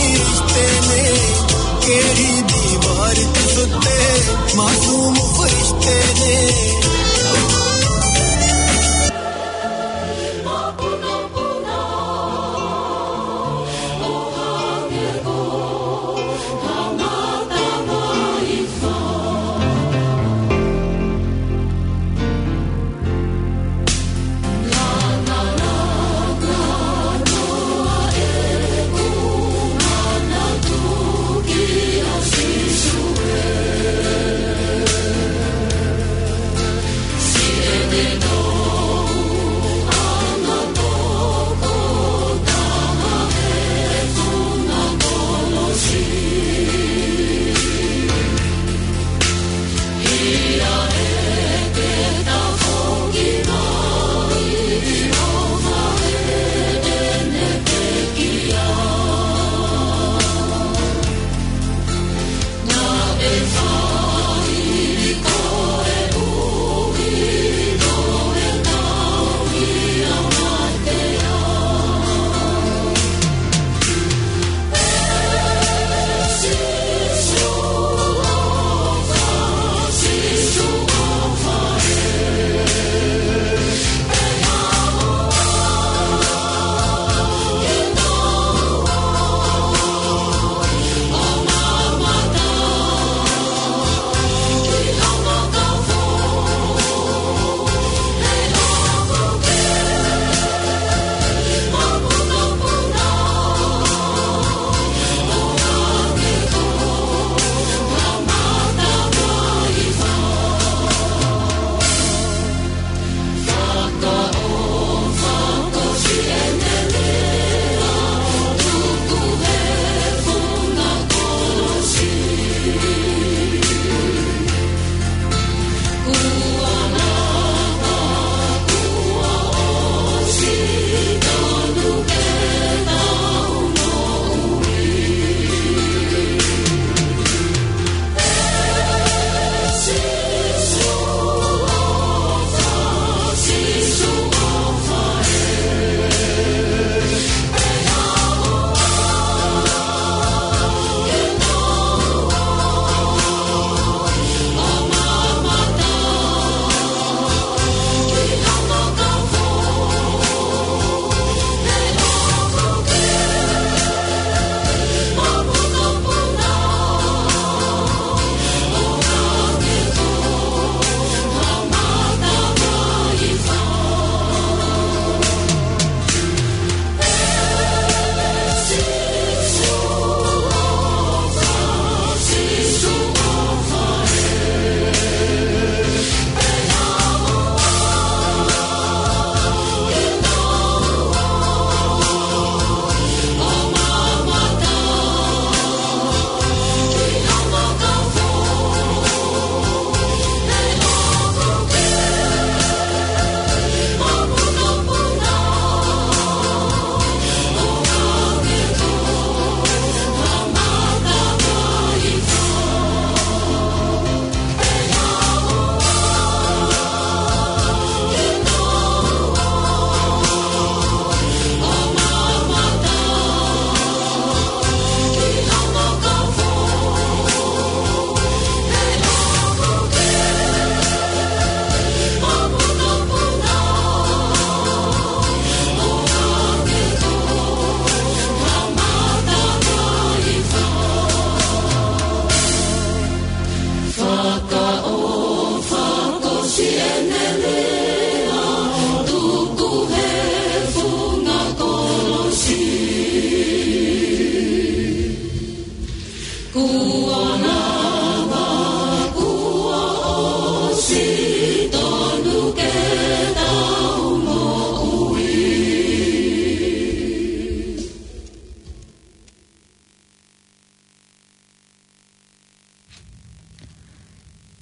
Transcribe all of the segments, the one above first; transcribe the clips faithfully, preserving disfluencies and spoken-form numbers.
Kristene, keri di bar tu sote, masumu Kristene.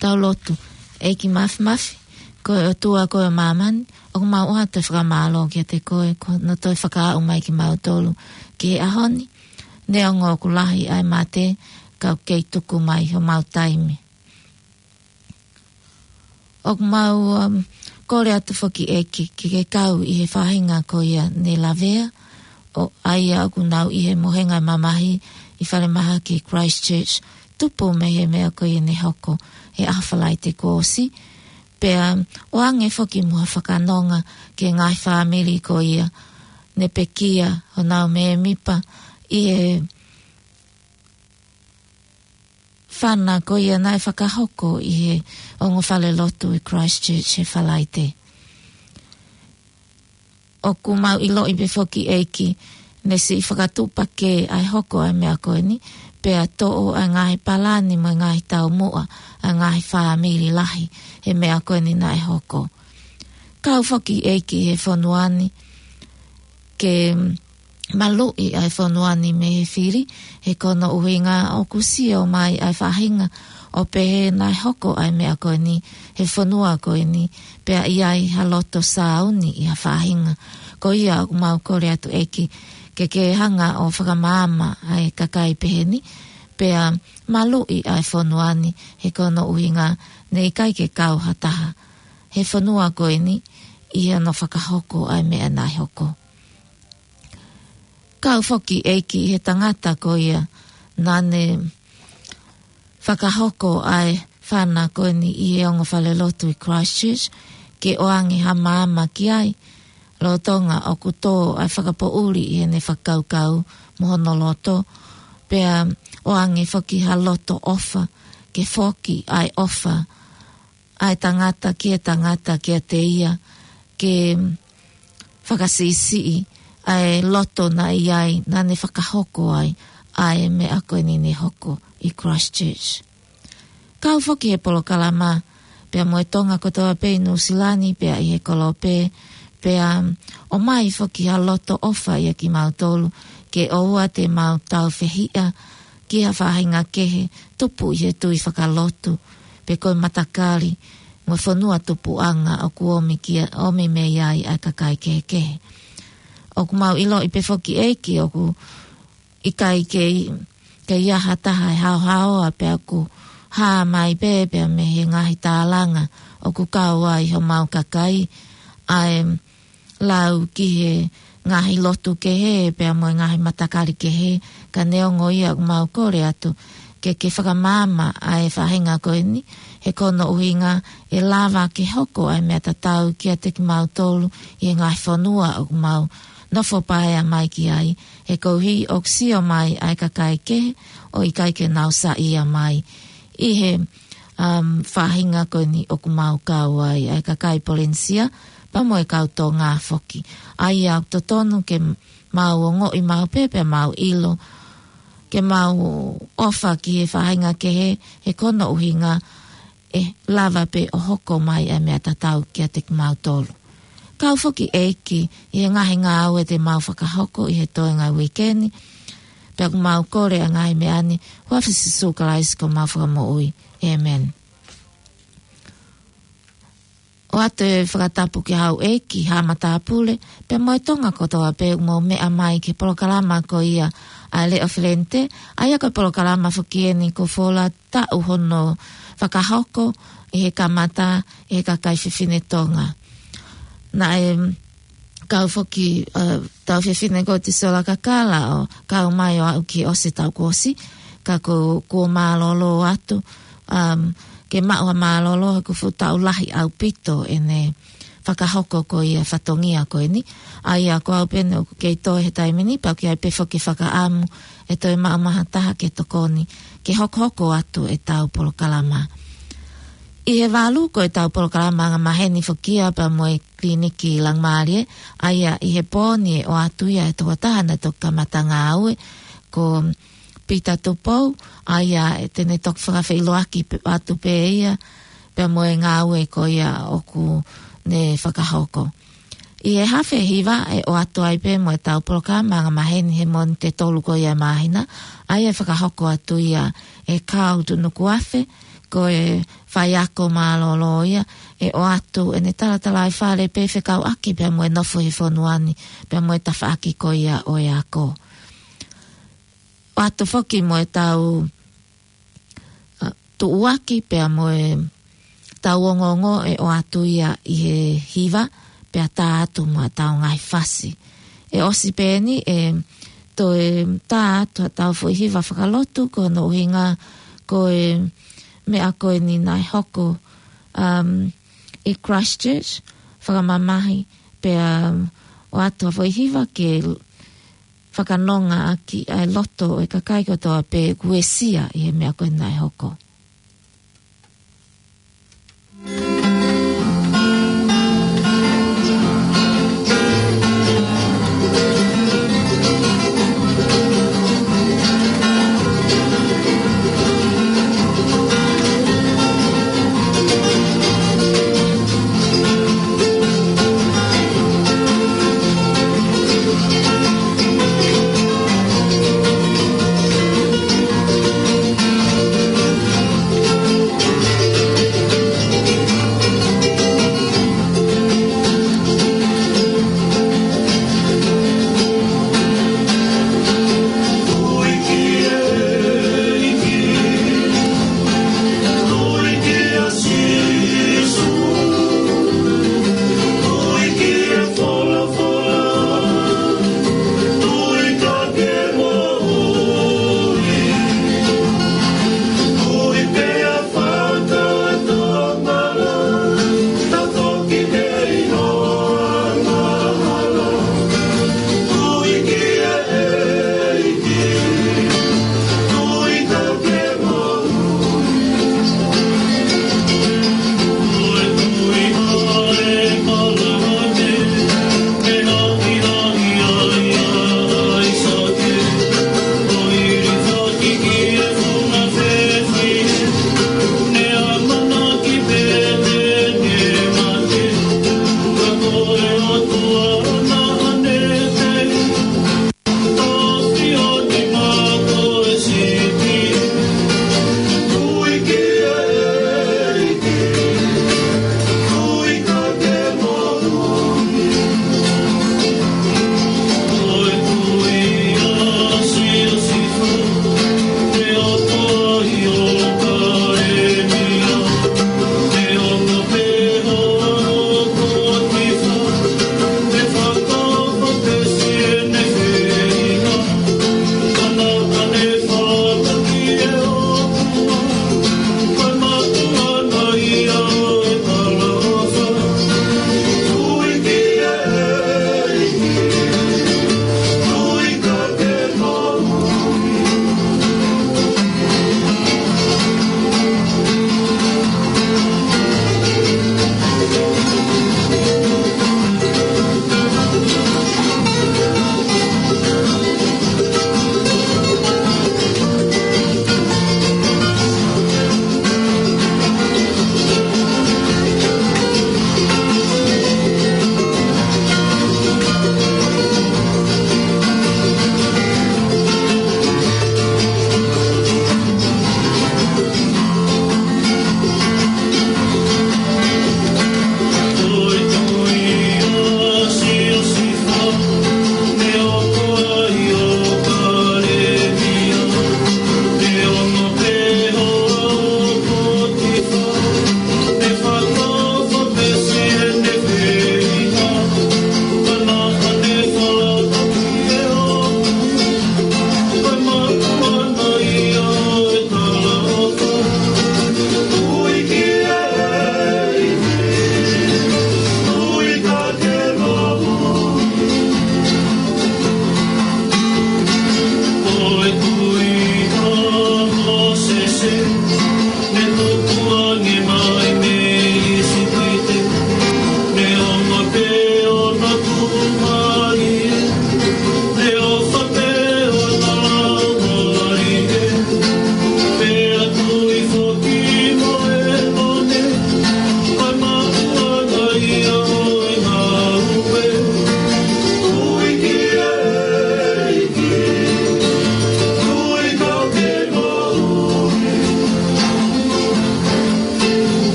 Tau lotu. ʻEiki Māfimafi, ko e ʻOtua ko ē ʻo māmani, ʻoku mau ʻoatu e fakamālō kiate koe, ko hono toe fakaaʻu mai kimautolu ki he ʻaho ni, neongo ʻoku lahi ʻa e mate, ka ʻoku kei tuku mai homau taimi. ʻOku mau, um, kole atu foki ʻEiki, ke ke kau ʻi he faʻahinga ko ia ne lavea, ʻo ʻa ia ʻoku nau ʻi he mohenga mamahi ʻi falemahaki Christchurch, tupu mei he meʻa ko ia ne hoko he ʻaho Falaite kuo ʻosi, pea ʻoange foki mo ha fakanonga ki he ngaahi fāmili ko ia ne pekia honau mēmipa ʻi he fana ko ia naʻe fakahoko ʻi he ongo falelotu ʻi Christchurch he Falaite. ʻOku mau ʻiloʻi pē foki ʻEiki ne siʻi fakatuʻupakē ʻa e hoko ʻa e meʻa ko eni, pea toʻo ʻa e ngaahi palani mo e ngaahi taumuʻa ʻa e ngaahi fāmili lahi he meʻa ko eni naʻe hoko. Kau foki ʻEiki he fonua ni ke maluʻi ʻa e fonua ni mei he fili, he ko hono ʻuhinga ʻoku sio mai ʻa e faʻahinga ʻo pehē naʻe hoko ʻa e meʻa ko eni he fonua ko eni, pea ʻi ai ha loto sāuni ʻi ha faʻahinga. Ko ia ʻoku mau kole atu ʻEiki ke ke hanga ʻo fakamaama ʻa e kakai pehē ni, pea maluʻi ʻa e fonua ni, he ko hono ʻuhinga ne ʻikai ke kau ha taha he fonua ko eni ʻi hono fakahoko ʻa e meʻa naʻe hoko. Kau foki ʻEiki he tangata ko ia naʻa ne fakahoko ʻa e fana ko eni ʻi he ongo falelotu ʻi Christchurch, ke ʻoange ha maama ki ai, lolotonga ʻoku tō ʻa e fakapoʻuli ʻi heʻene fakakaukau mo hono loto, pea ʻoange foki ha loto ʻofa, ke foki ʻa e ʻofa ʻa e tangata ki he tangata kiate ia, ke fakasiʻisiʻi ʻa e loto naʻe ʻi ai naʻa ne fakahoko ai ʻa e meʻa ko eni ne hoko ʻi Christchurch. Kau foki he polokalama, pea mo e Tonga kotoa pē ʻi Nuʻusila ni, pea ʻi he kolope, pea ʻomai foki ha loto ʻofa ʻia kimautolu, ke ʻoua te mau tāufehiʻa ki ha faʻahinga kehe, tupu ʻi he tui fakalotu, pe ko e matakali, mo e fonua tupuʻanga ʻoku ʻomi ki, ʻomi mei ai ʻa e kakai kehekehe. ʻOku mau ʻiloʻi pē foki ʻEiki ʻoku ʻikai ke, ke ʻi ai ha taha ʻe haohaoa pea ʻoku hā mai pē, pea mei he ngaahi tālanga ʻoku kau ai homau kakai, ʻa e lau ki he ngaahi lotu kehe, pea mo e ngaahi matakali kehe, ka neongo ia ʻoku mau kole atu ke, ke fakamaama ʻa e faʻahinga ko eni, he ko hono ʻuhinga ʻe lava ke hoko ʻa e meʻa tatau kiate kimautolu ʻi he ngaahi fonua ʻoku mau nofo paea mai ki ai, he koeʻuhi ʻoku sio mai ʻa e kakai kehe ʻo ʻikai ke nau saiʻia mai ʻi he, um, faʻahinga ko eni ʻoku mau kau ai, ʻa e kakai Polenisia, pea mo e kau Tonga foki. ʻA ia ʻoku totonu ke mau ongoʻi maʻu pē, pea mau ʻilo, ke mau ʻofa ki he faʻahinga kehe, he ko hono ʻuhinga ʻe lava pē ʻo hoko mai ʻa e meʻa tatau kiate kimautolu. Kau foki ʻEiki ʻi he ngaahi ngāue te mau fakahoko ʻi he toenga uike ni, pea ʻoku mau kole ʻa e ngaahi meʻa ni, huafa Sīsū Kalaisi ko homau Fakamoʻui. ʻĒmeni. ʻOatu e fakatapu ki hau ʻEiki, haʻa matāpule, pea mo e Tonga kotoa pē ʻoku mou meʻa mai ki he polokalama ko ia ʻa e Leʻo Felente, ʻa ia ko e polokalama foki eni kuo fola taʻu hono fakahoko ʻi he kamata ʻe he kakai fefine Tonga. Naʻe kau foki, uh, tau fefine ko Tisola Kakala ʻo kau mai ʻo aʻu ki ʻosi tau kuo ʻosi, ka ko, kuo mālōlō atu, um, ke maʻu ha mālōlō he kuo fuʻu taʻu lahi ʻaupito ʻene fakahoko ko ia fatongia ko eni. ʻA ia ko au pē eni ʻoku kei toe he taimi ni, pea ʻoku ʻi ai pē foki fakaʻamu ʻe toe maʻu mai ha taha ke tokoni, ke hokohoko atu ʻetau polokalama. ʻI he valu ko ʻetau polokalama angamaheni foki ia pea mo e Kiliniki Langimālie, ʻa ia ʻi he pō ni ʻe ʻoatu ia ʻe he tokotaha naʻe toki kamata ngāue, ko Pita Tupou, ʻa ia ʻe te ne toki fakafeʻiloaki pē, atu pē ia, pea mo e ngāue ko ia ʻoku ne fakahoko. ʻI he afe hiva ʻe ʻoatu ai pē mo ʻetau polokalama angamaheni he Mōnite tolu ko ia ʻo e māhina, ʻa ia ʻe fakahoko atu ia ʻe Carl Tunukuafe, ko e faiako mālōlō ia, ʻe ʻoatu ʻene talatalaifale pea fekauʻaki pea mo e nofo he fonua ni, pea mo e tafaʻaki ko ia ʻo e ako. ʻOatu foki mo ʻetau, uh, tuʻuaki pea mo ʻetau ongoongo ʻe ʻoatu ia ʻi he hiva, pea tā atu mo ʻetau ngaahi fasi. ʻe ʻosi pē eni ʻe toe tā atu haʻatau foʻi hiva fakalotu, ko hono ʻuhinga ko e meʻa ko eni naʻe hoko, um, ʻi Christchurch, fakamamahi pea, um, ʻoatu ha foʻi hiva ke fakanonga ʻaki ʻa e loto ʻo e kakai kotoa pē kuo uesia ʻi he meʻa ko eni naʻe hoko.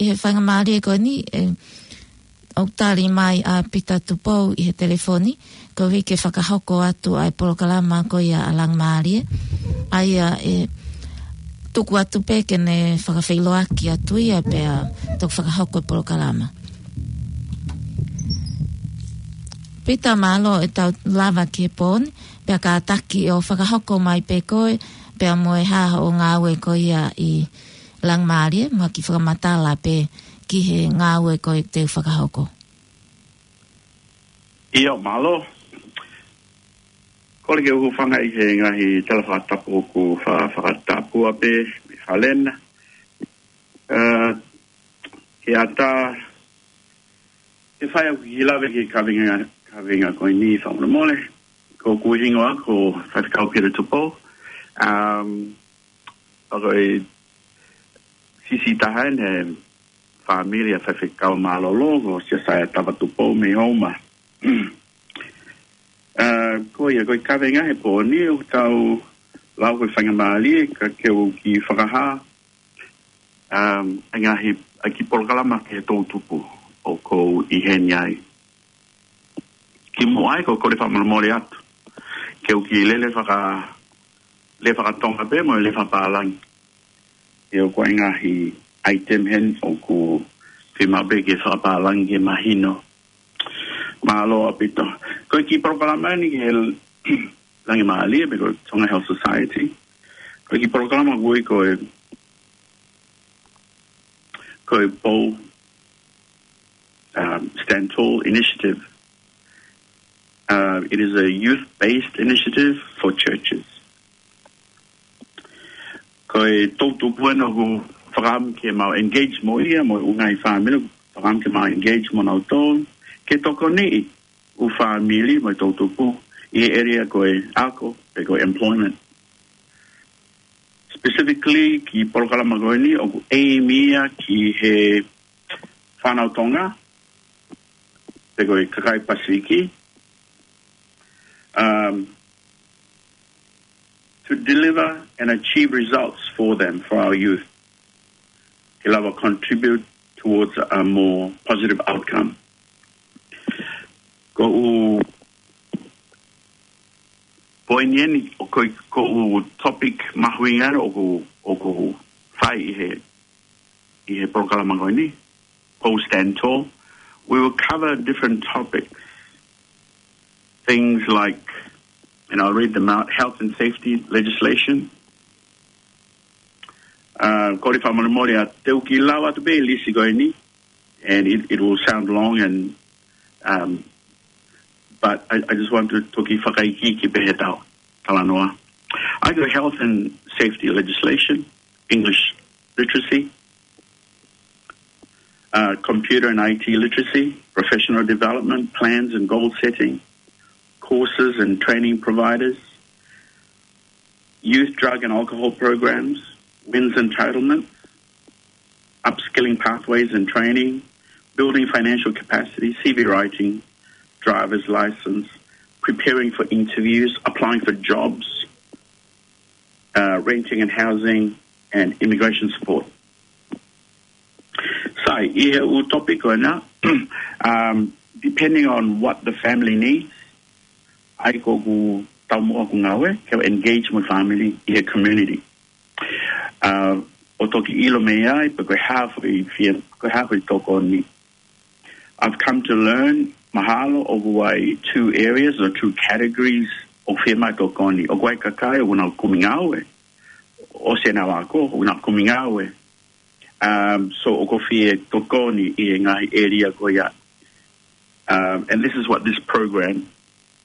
ʻI he faingamālie ko eni, ʻe, ʻoku tali mai ʻa Pita Tupou ʻi he telefoni, koeʻuhi ke fakahoko atu ʻa e polokalama ko ia ʻa Langimālie. ʻA ia ʻe tuku atu pē ke ne fakafeʻiloaki atu ia pea toki fakahoko e polokalama. Pita, mālō e tau lava ki he pō ni, pea kātaki ʻo fakahoko mai pē koe, pea mo e hā hoʻo ngāue ko ia ʻi Langimālie, mo e kiʻi fakamatala pē ki he ngāue ko ē te u fakahoko. ʻIo, mālō. Kole ke u hūfanga ʻi he ngaahi tala fakatapu ʻoku fa-, fakatapua pē mei Falena. Ā, ke ʻatā, ke fai ʻeku kiʻi lave ki he kaveinga, kaveinga ko eni fakamolemole. Ko hoku hingoa ko Faifekau Pita Tupou. Um, ʻa ko e siʻisiʻi taha eni he fāmili ʻa Faifekau mālōlō, ko Siosaia Tava Tupou mei Houma. Ā, ko ia, ko e kaveinga he pō ni ʻoku tau lau ko e faingamālie ka ke u kiʻi fakahā, um, ʻa e ngaahi, ʻa e kiʻi polokalama ki he toʻutupu ʻoku ou ʻi heni ai. Kimuʻa ai, ko e kole fakamolemole atu. Ke u kiʻi lele faka-, lele fakatonga pē mo e lele fakapālangi. ʻIo, ko e ngaahi item heni ʻoku fiemaʻu pē ke fakapālangi ke mahino. Mālō ʻaupito. Ko e kiʻi polokalama eni ki he Langimālie, pe ko e Tonga Health Society. Ko e kiʻi polokalama ʻoku ui ko e, ko e Pou, um, Stand Tall Initiative. Uh, it is a youth-based initiative for churches. Ko e toʻutupu eni ʻoku fakaʻamu ke mau engage mo ia, mo e ngaahi fāmili, fakaʻamu ke mau engage mo nautolu, ke tokoniʻi ʻū fāmili mo e toʻutupu ʻi he area ko e ako, pe ko e employment. Specifically, kiʻi polokalama ko eni, ʻoku aim ia ki he fānau Tonga, pe ko e kakai Pasifiki, um, to deliver and achieve results for them, for our youth. Ke lava contribute towards a more positive outcome. Ko ʻeku poini eni, ʻo ko, ko ʻeku topic mahuʻinga eni ʻoku, ʻoku fai ʻi he, ʻi he polokalama ko eni, Pou Stand Tall. We will cover different topics. Things like, and I'll read them out, health and safety legislation. Uh, kole fakamolemole ā, te u kiʻi lau atu pē lisi ko eni, and it, it will sound long, and, um, but I, I just want to toki fakaikiiki pē he tau talanoa. I got health and safety legislation, English literacy, uh, computer and I T literacy, professional development, plans and goal setting, courses and training providers, youth drug and alcohol programs, WINZ entitlement, upskilling pathways and training, building financial capacity, C V writing, driver's license, preparing for interviews, applying for jobs, uh, renting and housing, and immigration support. So, ʻi he ʻū topic ko ena, um, depending on what the family needs, ʻai ko ʻeku taumuʻa ʻeku ngāue ke engage mo e family ʻi he community. Uh, ʻo toki ʻilo mei ai pe ko e hā foʻi fie, ko e hā foʻi tokoni. I've come to learn, mahalo, ʻoku ʻi ai two areas or two categories ʻoku fiemaʻu e tokoni. ʻOku ʻi ai e kakai ʻoku nau kumi ngāue, ʻosi ʻenau ako, ʻoku nau kumi ngāue. Um, so ʻoku fie tokoni ʻi he ngaahi area ko ia. Um, and this is what this program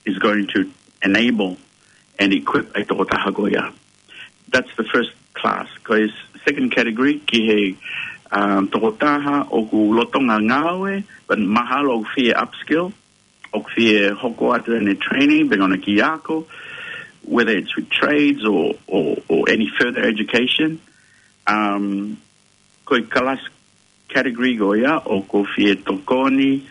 is going to enable and equip e tokotaha ko ia. That's the first class. Ko e second category, ki he, um, tokotaha ʻoku lolotonga ngāue, but mahalo ʻoku fie upskill, ʻoku fie hoko atu ʻene training, pe ko ʻene kiʻi ako, whether it's with trades or, or, or any further education. Um, ko e kalasi category ko ia ʻoku fie tokoni,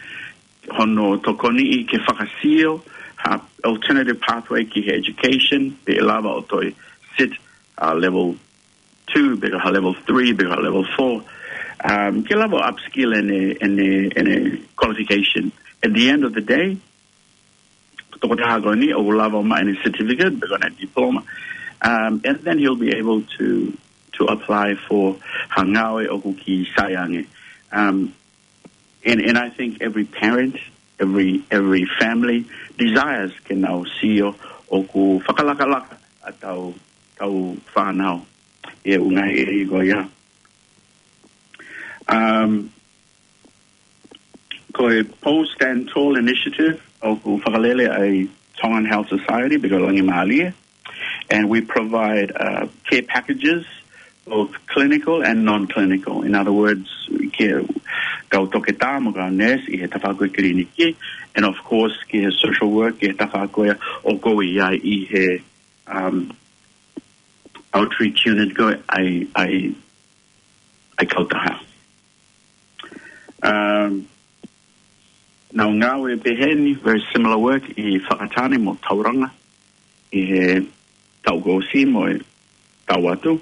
hono tokoniʻi ke fakasio ha alternative pathway ki he education, pe ʻe lava ʻo toe sit, uh, level two, pe ko ha level three, pe ko ha level four. Um, ke lava ʻo upskill ʻene, ʻene, ʻene qualification. At the end of the day, tokotaha ko eni ʻoku lava ʻo maʻu ʻene certificate, pe ko ʻene diploma. Um, and then he'll be able to, to apply for ha ngāue ʻoku kiʻi sai ange. Um, and, and I think every parent, every, every family desires ke nau sio ʻoku fakalakalaka ʻetau, ʻetau fānau ʻi he ʻū ngaahi ʻēlia ko ia. Um, ko e Pou Stand Tall Initiative ʻoku fakalele ʻa e Tongan Health Society, pe ko e Langi Mālie. And we provide, uh, care packages, both clinical and non-clinical. In other words, ke kau toketā mo e kau nurse ʻi he tafaʻaki kiliniki. And of course, ki he social work, ki he tafaʻaki ʻoku ʻi ai ʻi he, um, outreach unit ko ē ʻa e, ʻa e, ʻa e kautaha. Um, nau ngāue pehē ni, very similar work ʻi Whakatane mo Tauranga ʻi he taʻu kuo ʻosi mo e taʻu atu.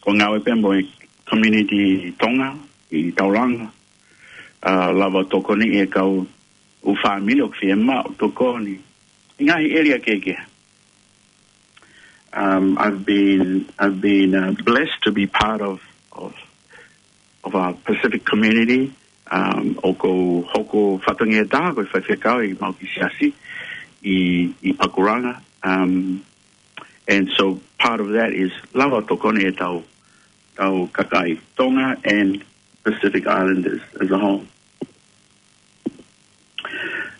Ko e ngāue pē mo e community Tonga ʻi Tauranga. Uh, lava ʻo tokoni ʻi he kau ʻū fāmili ʻoku fiemaʻu tokoni ʻi he ngaahi ʻēlia kehekehe. Um, I've been, I've been, uh, blessed to be part of, of, of our Pacific community. Um, ʻoku ou hoko fatongia taha ko e faifekau ʻi Maʻuki Siasi ʻi, ʻi Pakuranga. Um, and so part of that is lava ʻo tokoni ʻetau, ʻetau kakai Tonga and Pacific Islanders as a whole.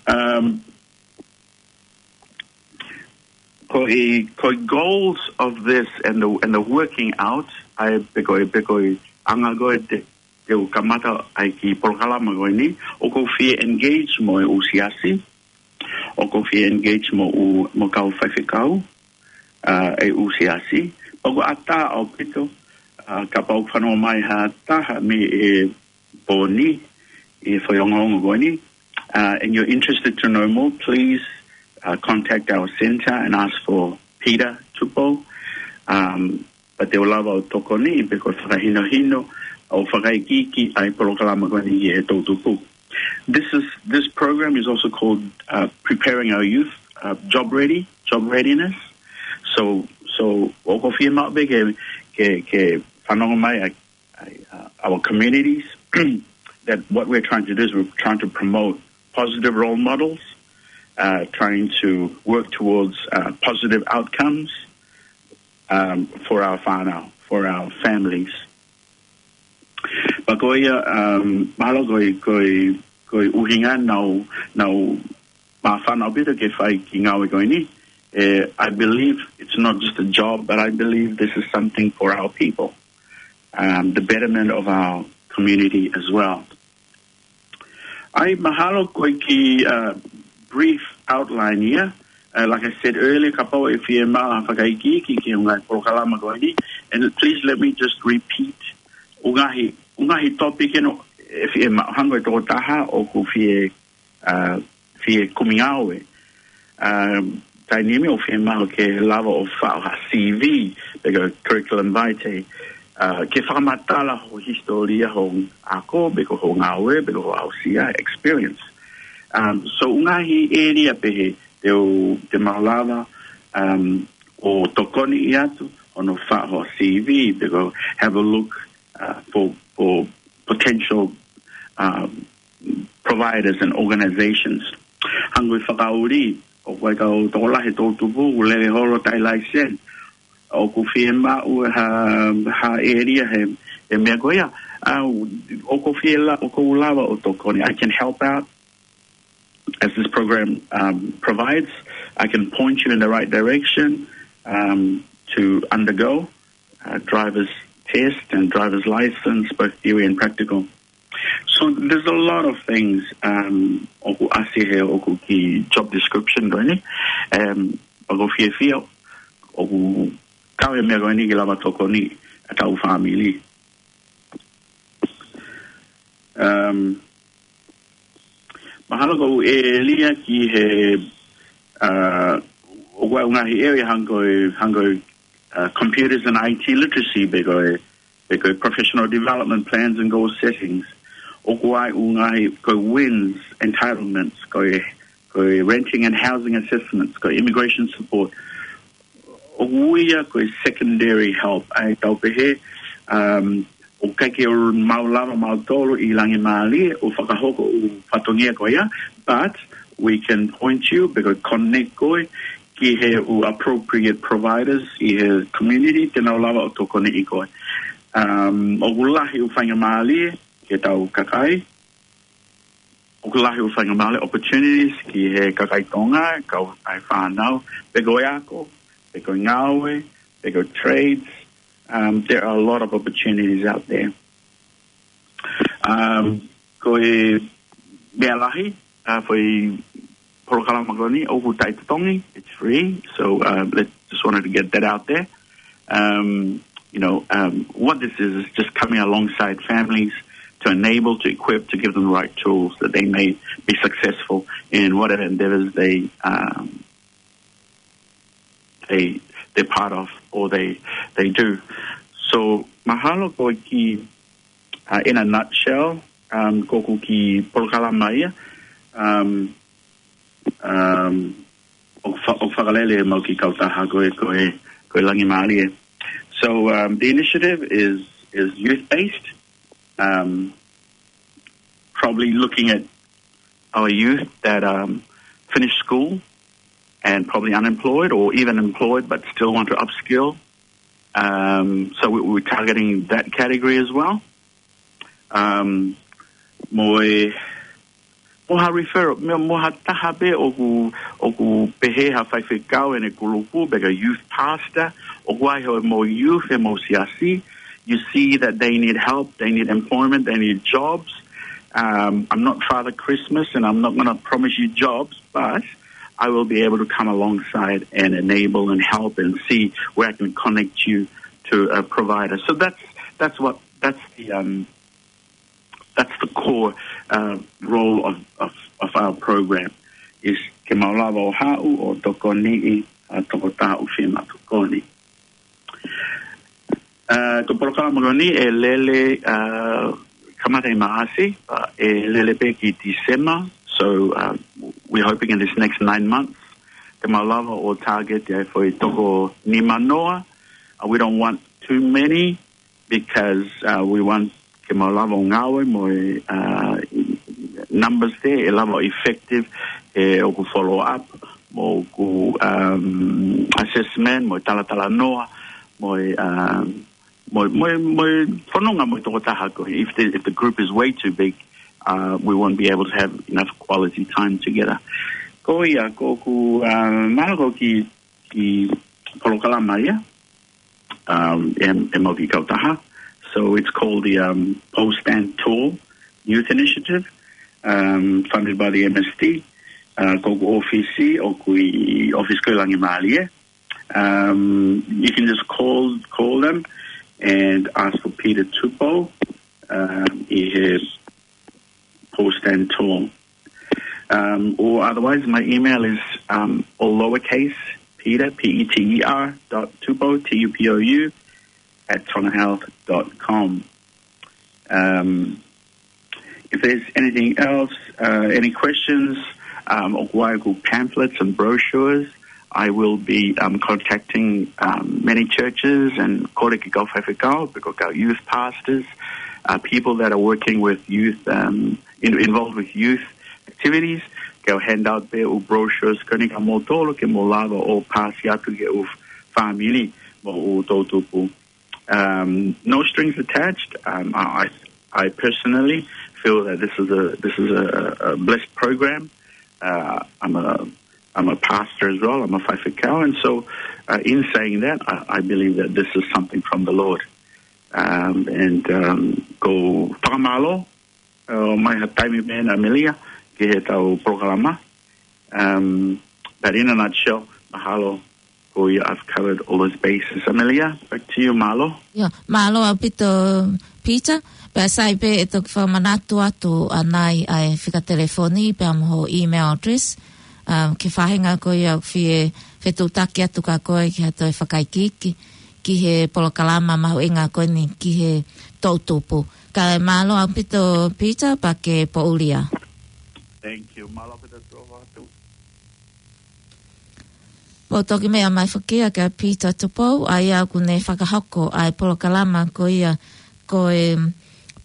Um, ko e, ko e goals of this and the, and the working out, ʻa e pe ko e, pe ko e anga ko ē te, te u kamata ai e kiʻi polokalama ko eni, ʻoku ou fie engage mo e ʻū siasi, ʻoku ou fie engage mo e ʻū, mo e kau faifekau, uh, e ʻū siasi. Pea ʻoku ʻatā ʻaupito, uh, kapau ʻoku fanongo mai ha taha mei he pō ni, ʻi he foʻi ongoongo ko eni. Uh, and you're interested to know more, please, uh, contact our centre and ask for Peter Tupou. Um, pea te u lava ʻo tokoniʻi pe ko e fakahinohino ʻo fakaikiiki ʻa e polokalama ko eni ʻi he toʻutupu. This is, this program is also called, uh, Preparing Our Youth, uh, Job Ready, Job Readiness. So, so ʻoku ou fiemaʻu pē ke, ke, ke fanongo mai ʻa, ʻa, uh, our communities that what we're trying to do is we're trying to promote positive role models, uh, trying to work towards, uh, positive outcomes, um, for our whānau, for our families. Pea ko ia, um, mahalo ko e, ko e, ko e ʻuhinga naʻa ku, naʻa ku māfana ʻaupito ke fai e kiʻi ngāue ko eni. Eh, I believe it's not just a job, but I believe this is something for our people, um, the betterment of our community as well. ʻA ia mahalo ko e kiʻi, uh, brief outline ia, Uh, like I said earlier, kapau ʻe fiemaʻu ha fakaikiiki ki he ngaahi polokalama ko eni. And please let me just repeat. ʻOku ngaahi, ʻoku ngaahi topic ʻeni ʻe fiemaʻu, hangē ko e tokotaha ʻoku fie, uh, fie kumi ngāue. Um, taimi ni ʻoku fiemaʻu ke lava ʻo faʻo ha C V, pe ko e curriculum vitae, uh, ke fakamatala ho hisitōlia, ho ako, pe ko ho ngāue, pe ko ho aʻusia, experience. Um, so ʻoku ngaahi ʻēlia pehē te u, te mau lava, um, ʻo tokoniʻi atu, ʻo nau faʻo ho C V, pe ko have a look, uh, for, for potential, um, providers and organizations. Hangē ko e fakaʻuli, ʻoku ʻi ai e kau tokolahi ʻi he toʻutupu, ʻoku lele holo taʻe laiseni. ʻOku fiemaʻu ha, ha ʻēlia he, he meʻa ko ia. Uh, ʻoku ou fie la-, ʻoku ou lava ʻo tokoni. I can help out as this program, um, provides. I can point you in the right direction, um, to undergo, uh, driver's test and driver's license, both theory and practical. So there's a lot of things, um, ʻoku ʻasi he ʻoku ki job description ko eni. Um, ʻoku ou fiefia, ʻoku kau he meʻa ko eni ke lava tokoni ʻa e kau fāmili. Um, mahalo ko e ʻēlia ki he, uh, ʻoku ʻi ai e ngaahi ʻēlia hangē ko e, hangē ko e, uh, computers and I T literacy, pe ko e, pe ko e professional development plans and goal settings. ʻOku ʻi ai e ngaahi, ko e wins, entitlements, ko e, ko e renting and housing assessments, ko e immigration support. ʻOku ui ia ko e secondary help, ʻa ia ʻoku tau pehē, um, ʻoku ʻikai ke mau lava mautolu ʻi langi mālie ʻo fakahoko e fatongia ko ia, but we can point you, pe ko e connect koe ki he ʻū appropriate providers ʻi he community te nau lava ʻo tokoniʻi koe. Um, ʻoku lahi e faingamālie ki he tau kakai, ʻoku lahi e faingamālie, opportunities ki he kakai Tonga, kau ai fānau, pe ko e ako, pe ko e ngāue, pe ko e trades. Um, there are a lot of opportunities out there. Um, ko e meʻa lahi, uh, foʻi polokalama ko eni, ʻoku taʻetotongi, it's free. So, uh, let, just wanted to get that out there. Um, you know, um, what this is, is just coming alongside families to enable, to equip, to give them the right tools that they may be successful in whatever endeavors they, um, they, they're part of or they, they do. So, mahalo ko e kiʻi, uh, in a nutshell, um, ko ʻeku kiʻi polokalama ia, um, um, ʻo fa-, ʻo fakalele ʻemau kiʻi kautaha ko e, ko e, ko e Langi Mālie. So, um, the initiative is, is youth-based, um, probably looking at our youth that, um, finish school and probably unemployed or even employed but still want to upskill. Um, so we, we're targeting that category as well. Um, mo e, mo ha referral, mo, mo ha taha pē ʻoku, ʻoku pehē ha faifekau ʻene kulupu, pe ko e youth pastor, ʻoku ʻi ai hoʻomou youth, ʻemou siasi, you see that they need help, they need employment, they need jobs. Um, I'm not Father Christmas and I'm not gonna promise you jobs, but I will be able to come alongside and enable and help and see where I can connect you to a provider. So that's, that's what, that's the, um, that's the core, uh, role of, of, of our program, is ke mau lava ʻo haʻu ʻo tokoniʻi ʻa e tokotaha ʻoku fiemaʻu tokoni. Uh, ko e polokalama ko eni ʻe lele, uh, kamata ʻi Maʻasi, uh, ʻe lele pē ki Tīsema. So, uh, we're hoping in this next nine months, te mau lava ʻo target ʻa e foʻi toko nima noa. Uh, we don't want too many because, uh, we want ke mau lava ʻo ngāue mo e, uh, numbers there, ʻe lava ʻo effective, ʻe ʻoku follow up, mo ʻoku, um, assessment, mo e talatalanoa, mo e, um, mo, mo, mo e fononga mo e tokotaha ko ē. If the, if the group is way too big, uh, we won't be able to have enough quality time together. Ko ia, ko ʻeku, uh, mahalo ko e kiʻi, kiʻi polokalama ia, um, ʻe, ʻemau kiʻi kautaha. So it's called the, um, Pou Stand Tall Youth Initiative, um, funded by the M S D. Uh, ko ʻeku ʻōfisi, ʻoku ʻi he ʻōfisi ko ē ʻi Langimalie. Um, you can just call call them and ask for Peter Tupou. Um, he has post and tool. Um, or otherwise, my email is um, all lowercase Peter, P E T E R, dot Tupou, T U P O U, at tongahealth dot com. Um, if there's anything else, uh, any questions, um, or ʻoku ʻi ai ʻeku pamphlets and brochures, I will be um, contacting um, many churches and kole ki he kau faifekau, pe ko e kau youth pastors, uh, people that are working with youth, um, in, involved with youth activities, ke u hand out pē ʻeku brochures ko eni kia moutolu ke mou lava ʻo paasi atu ki he ʻū fāmili mo e ʻū toʻutupu. Um, no strings attached. Um, I, I I personally feel that this is a this is a, a blessed program. Uh, I'm a I'm a pastor as well. I'm a faifekau, and so uh, in saying that, I, I believe that this is something from the Lord. Um, and um, ko e fakamālō, uh, mai ha taimi pē ena, Amelia, ki heʻetau polokalama. Um, but in a nutshell, mahalo ko ia I've covered all those bases. Amelia, back to you, mālō. ʻIo, mālō ʻaupito, Peter. Pea sai pē ʻe toki fakamanatu atu ʻanai ʻa e fika telefoni pea mo hoʻo email address. Um, ki he faʻahinga ko ia ʻoku fie fetuʻutaki atu kia koe ki ha toe fakaikiiki ki he polokalama mahuʻinga ko eni ki he toʻutupu. Kae mālō ʻaupito, Peter, pea ke poʻuli ā. Thank you. Mālō ʻaupito, Tupou. Mou toki meʻa mai foki ā kia Peter Tupou, ʻa ia ʻoku ne fakahoko ʻa e polokalama ko ia ko e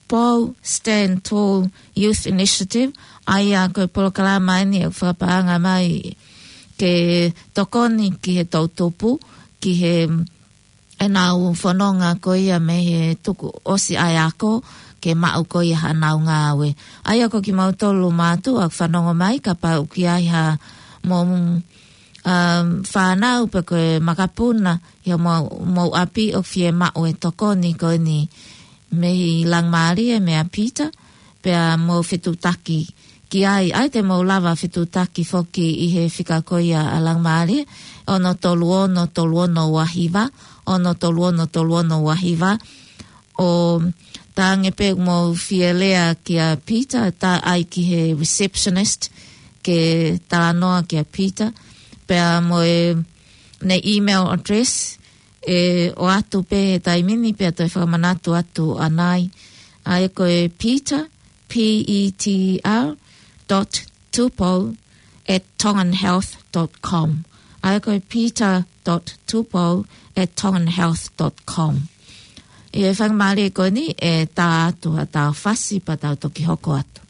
Pou Stand Tall Youth Initiative, ʻa ia ko e polokalama eni ʻoku fakapaʻanga mai ke tokoni ki he toʻutupu, ki he ʻenau fononga ko ia mei he tuku ʻosi ʻa e ako, ke maʻu ko ia haʻanau ngāue. ʻA ia ko kimautolu mātuʻa ʻoku fanongo mai, kapau ʻoku ʻi ai haʻamou, um, fānau pe ko e makapuna ʻi homou, mou ʻapi ʻoku fie maʻu e tokoni ko eni mei Langimalie, meia Peter, pea mou fetuʻutaki ki ai, ʻai te mou lava fetuʻutaki foki ʻi he fika ko ia ʻa Langimalie, ono tolu ono tolu ono ua hiva, ono tolu ono tolu ono ua hiva, ʻo talaange pē mou fie lea kia Peter, tā ʻai ki he receptionist, ke talanoa kia Peter, pea mo ʻene email address, ʻe ʻoatu pē he taimi ni pea toe fakamanatu atu ʻanai. ʻA ia ko e Peter, P E T R dot Tupou at tongan health dot com. ʻA ia ko e Peter dot Tupou at tongan health dot com. ʻI he faingamālie ko eni ʻe tā atu haʻatau fasi pea tau toki hoko atu.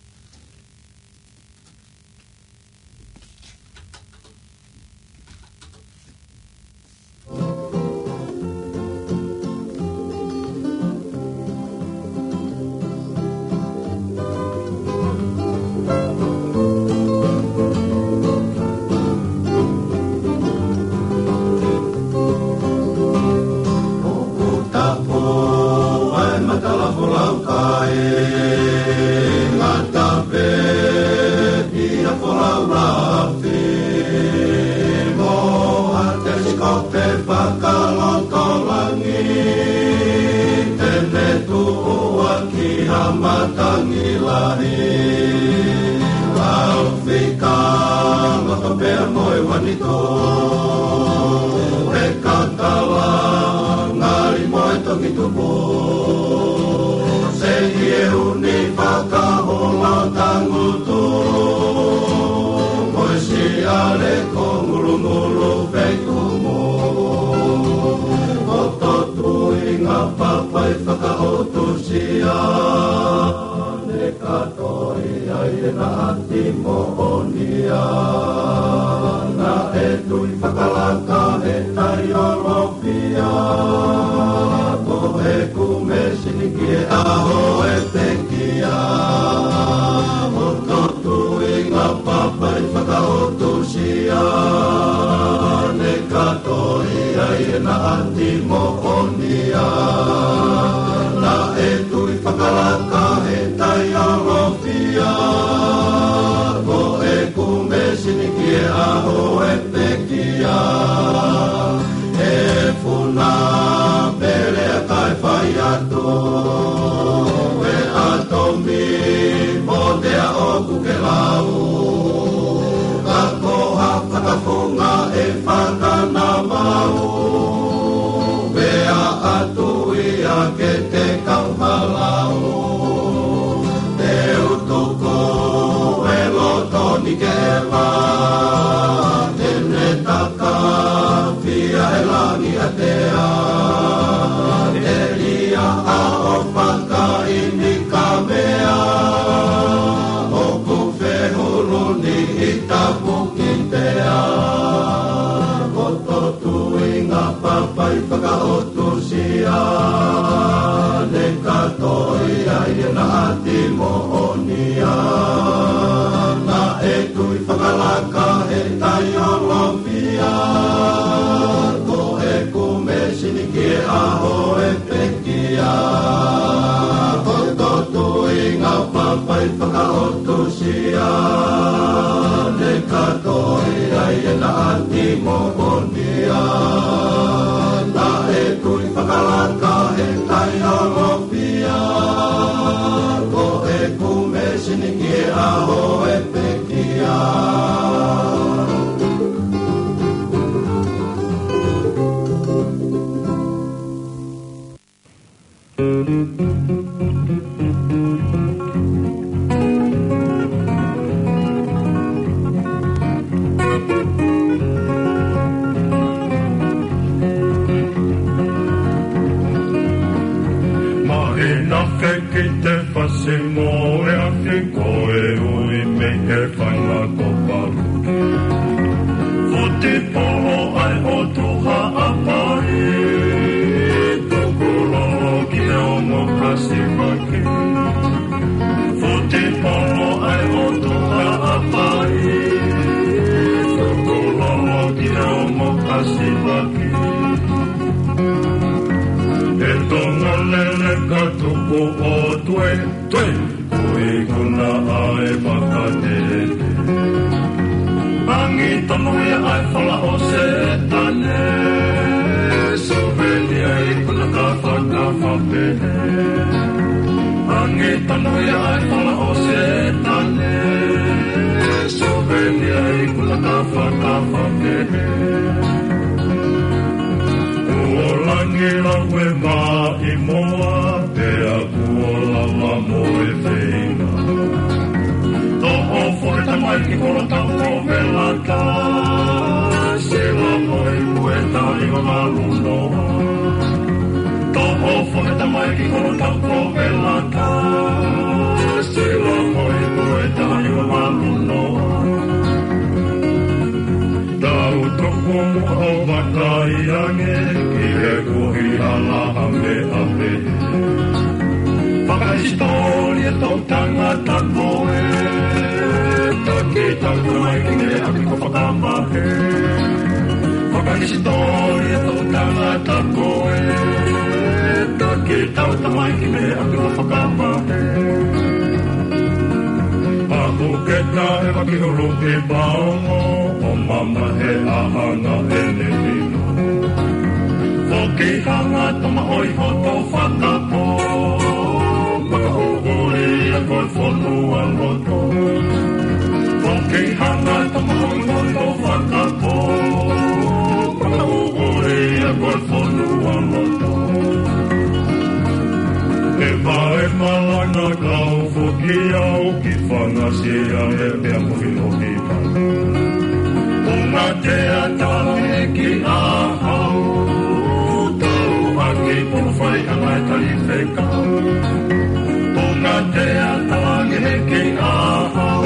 ʻOku tapu ai matala folau kae ngata pē ʻi ha folau lafi mo ha telesikope fakalotolahi, te ne tuʻu ʻaki ha matangi lahi. Lau fika loto pea mo e uanitu, e kakala ngali mo e tongi tupu, seʻi ʻi he ʻuni fakahola tangutu, mo e siale ko ngulungulu feitumu, ʻo totuinga papai fakaʻotusia. Ne ka toi ai ʻena ʻati moʻonia, naʻe tui fakalaka he taiolo fia, ko ʻeku mēsini ki he ʻaho ʻe pekia, ʻo totuinga papai fakaʻotusia. Ne ka toi ai ʻena ʻati moʻonia, naʻe tui fakalaka he taiolo fia, ko ʻeku mēsini Ka he taiolofia, ko ʻeku mēsini ki he ʻaho ʻe pekia. Ko e totuinga papai fakaʻotusia, ne ka toi ai ʻena ʻati moʻonia. Naʻe kui fakalaka he taiolofia, ko ʻeku mēsini ki he ʻaho ʻe pekia. Mahina fekite fasi mo e afi ko e ui mei he fainga ko Paluki. Futi polo ai ʻo tuha ʻapai, tuku lolo ki he ongo kasivaki. Futi polo ai ʻo tuha ʻapai, tuku lolo ki he ongo kasivaki. E Tonga lele ka tuku ʻo tue, tue. Ko e kuna ʻa e fakatete. Angi tonu ia ʻa e fala ʻo Setane. Suveni ai kuna ka fakafapehe. Angi tonu ia ʻa e fala ʻo Setane. Suveni ai kuna ka fakafapehe. Kuo langi lau e maʻi moa, pea kuo lava mo e feinga. Toʻo foʻi tamaiki kolo tau ko velata, sila mo e kueta lima malu noa. Toʻo foʻi tamaiki kolo tau ko velata, sila mo e kueta lima malu noa. Tau toko muʻa ʻo vakai ange ki he kuohila ha meʻa pehē. Fakahisitōlia tau tangata ko e taki tau tamaiki mei he ʻapi ko Fakamahe. Fakahisitōlia tau tangata ko e taki tau tamaiki mei he ʻapi ko Fakamahe. Paku ke taʻe maki hulupi paongo, ʻo mamahe ʻa hanga ʻene hino. Foki hanga tama ʻoi hoto fakapō, makaʻuʻuli ia ko e fonua loto. Foki hanga tama ʻoi hoto fakapō, makaʻuʻuli ia ko e fonua loto. E vae malanga kau foki au ki Fangasia e pea mo Filipipa. Punga te atala e ki ahau, tau ʻaki pulu fai anga e tali fekau. Punga te atala e ki ahau,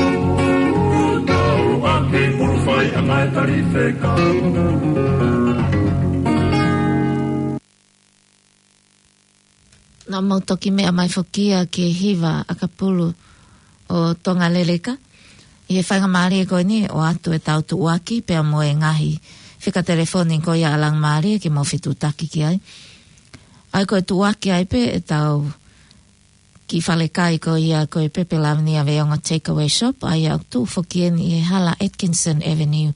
tau ʻaki pulu fai anga e tali fekau. Naʻa mau toki meʻa mai foki ia ki he hiva ʻakapulu ʻo Tonga Leleka. ʻI he faingamālie ko eni ʻoatu e tau tuʻuaki pea mo e ngaahi fika telefoni ko ia ʻa Langamālie ke mau fetuʻutaki ki ai. ʻA ia ko e tuʻuaki ai pē e tau ki falekai ko ia ko e Pepe Lavinia Veongo Takeaway Shop, ʻa ia ʻoku tuʻu foki eni ʻi he Hala Atkinson Avenue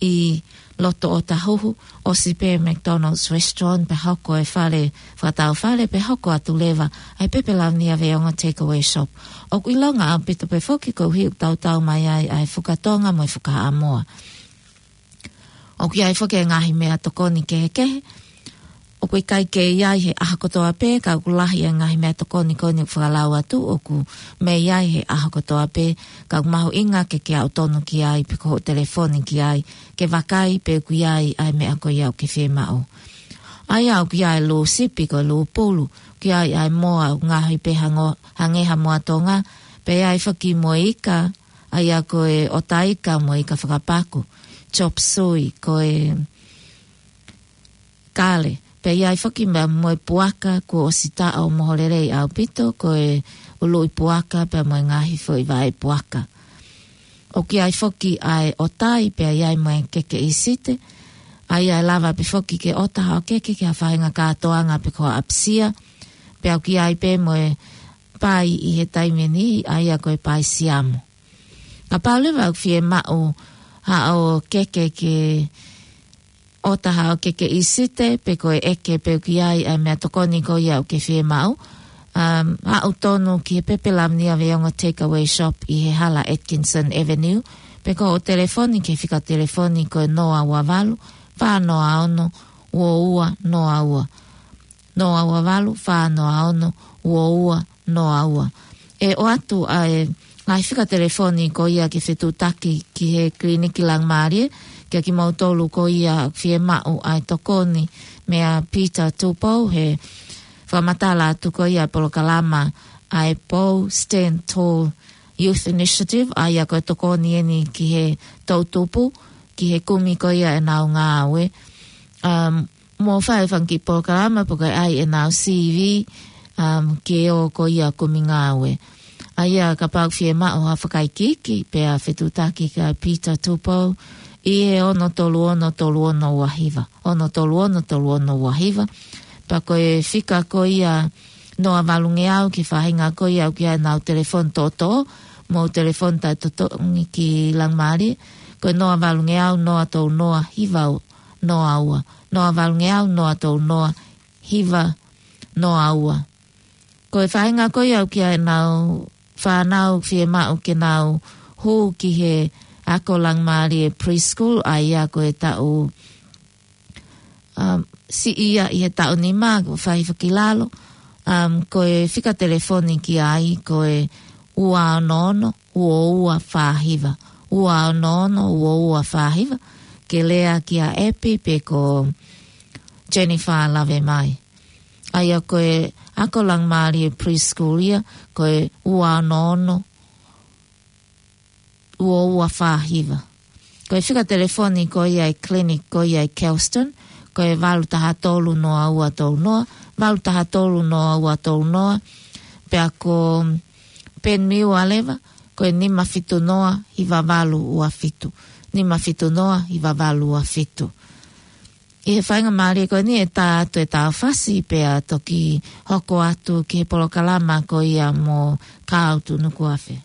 ʻi loto ʻOtahuhu, ʻosi pē McDonald's Restaurant, pea hoko e fale, fakatau fale, pea hoko atu leva ʻa e Pepe Lavinia Veongo Takeaway Shop. ʻOku ʻilonga ʻaupito pē foki koeʻuhi ʻoku tautau mai ai ʻa e fuka Tonga mo e fuka Haʻamoa. ʻOku ʻi ai foki e ngaahi meʻatokoni kehekehe. ʻOku ʻikai ke ʻi ai he ʻaho kotoa pē, ka ʻoku lahi e ngaahi meʻatokoni ko eni ʻoku fakalau atu, ʻoku mei ai he ʻaho kotoa pē, ka ʻoku mahuʻinga ke ke aʻu tonu ki ai, pe ko hoʻo telefoni ki ai, ke vakai pe ʻoku ʻi ai ʻa e meʻa ko ia ʻoku ke fiemaʻu. ʻA ia ʻoku ʻi ai e lū sipi, ko e lū pulu, ʻoku ʻi ai ʻa e moa ʻoku ngaohi pē hango-, hangē ha moa Tonga, pea ʻi ai foki mo e ika, ʻa ia ko e ʻota ika mo e ika fakapaku, chop suey, ko e kale. Pea ʻi ai foki mo e puaka, kuo ʻosi taʻo moho lelei ʻaupito, ko e ʻuluʻi puaka, pea mo e ngaahi foʻi vaʻe puaka. ʻOku ʻi ai foki ʻa e ʻotai, pea ʻi ai mo e keke ʻīsite. ʻA ia ʻe lava pē foki ke ʻota haʻo keke ki ha faʻahinga kātoanga pe ko ha ʻapasia. Pea ʻoku ʻi ai pē mo e pai ʻi he taimi ni, ʻa ia ko e pai siamo. Kapau leva ʻoku fiemaʻu haʻo keke ke ʻota haʻo keke ʻīsite, pe ko e ʻeke pe ʻoku ʻi ai ʻa e meʻatokoni ko ia ʻoku ke fiemaʻu. Um, haʻu tonu ki he Pepe Lavenia Veongo Takeaway Shop ʻi he hala Atkinson Avenue, pe ko hoʻo telefoni ki he fika telefoni ko e noa ua valu, fā noa ono, ua ua noa ua. Noa ua valu, fā noa ono, ua ua noa ua. ʻE ʻoatu ʻa e ngaahi fika telefoni ko ia ke fetuʻutaki ki he Kiliniki Langimālie, kia kimoutolu ko ia fiemaʻu ʻa e tokoni meia Peter Tupou, he fakamatala atu ko ia polokalama ʻa e Pou Stand Tall Youth Initiative, ʻa ia ko e tokoni eni ki he toʻutupu, ki he kumi ko ia ʻenau ngāue. Um, mo fai fanga kiʻi polokalama pe ko e ʻai ʻenau C V, um, ke ō ko ia kumi ngāue. ʻA ia kapau ʻoku fiemaʻu ha fakaikiiki, pea fetuʻutaki kia Peter Tupou, ʻi he ono tolu ono tolu ono ua hiva. Ono tolu ono tolu ono ua hiva. Pea ko e fika ko ia noa valungeau ki he faʻahinga ko ia ʻoku ʻi ai ʻenau telefoni toʻotoʻo, mo e telefoni taʻetotongi ki Langimālie, ko e noa valungeau noa tolu noa hiva noa ua. Noa valungeau noa tolu noa hiva noa ua. Ko e faʻahinga ko ia ʻoku ʻi ai ʻenau fānau fiemaʻu ke nau hū ki he Ako Langimālie Preschool, ʻa ia ko e taʻu, um, siʻi ia ʻi he taʻu nima, ko e fai fakilalo, um, ko e fika telefoni ki ai, ko e ua ono ono, ua ua fā hiva. Ua ono ono, ua ua fā hiva, ke lea kia Epi pe ko Jennifer Lavemai. ʻA ia ko e Ako Langimālie Preschool ia, ko e ua ono ono, ua ua fā hiva. Ko e fika telefoni ko ia ʻa e clinic ko ia ʻi Kelston, ko e valu taha tolu noa ua tolu noa, valu taha tolu noa ua tolu noa, pea ko Penmiua leva, ko e nima fitu noa hiva valu ua fitu. Nima fitu noa hiva valu ua fitu. ʻI he faingamālie ko eni ʻe tā atu e tāufasi pea toki hoko atu ki he polokalama ko ia mo Kautu Nukuafe.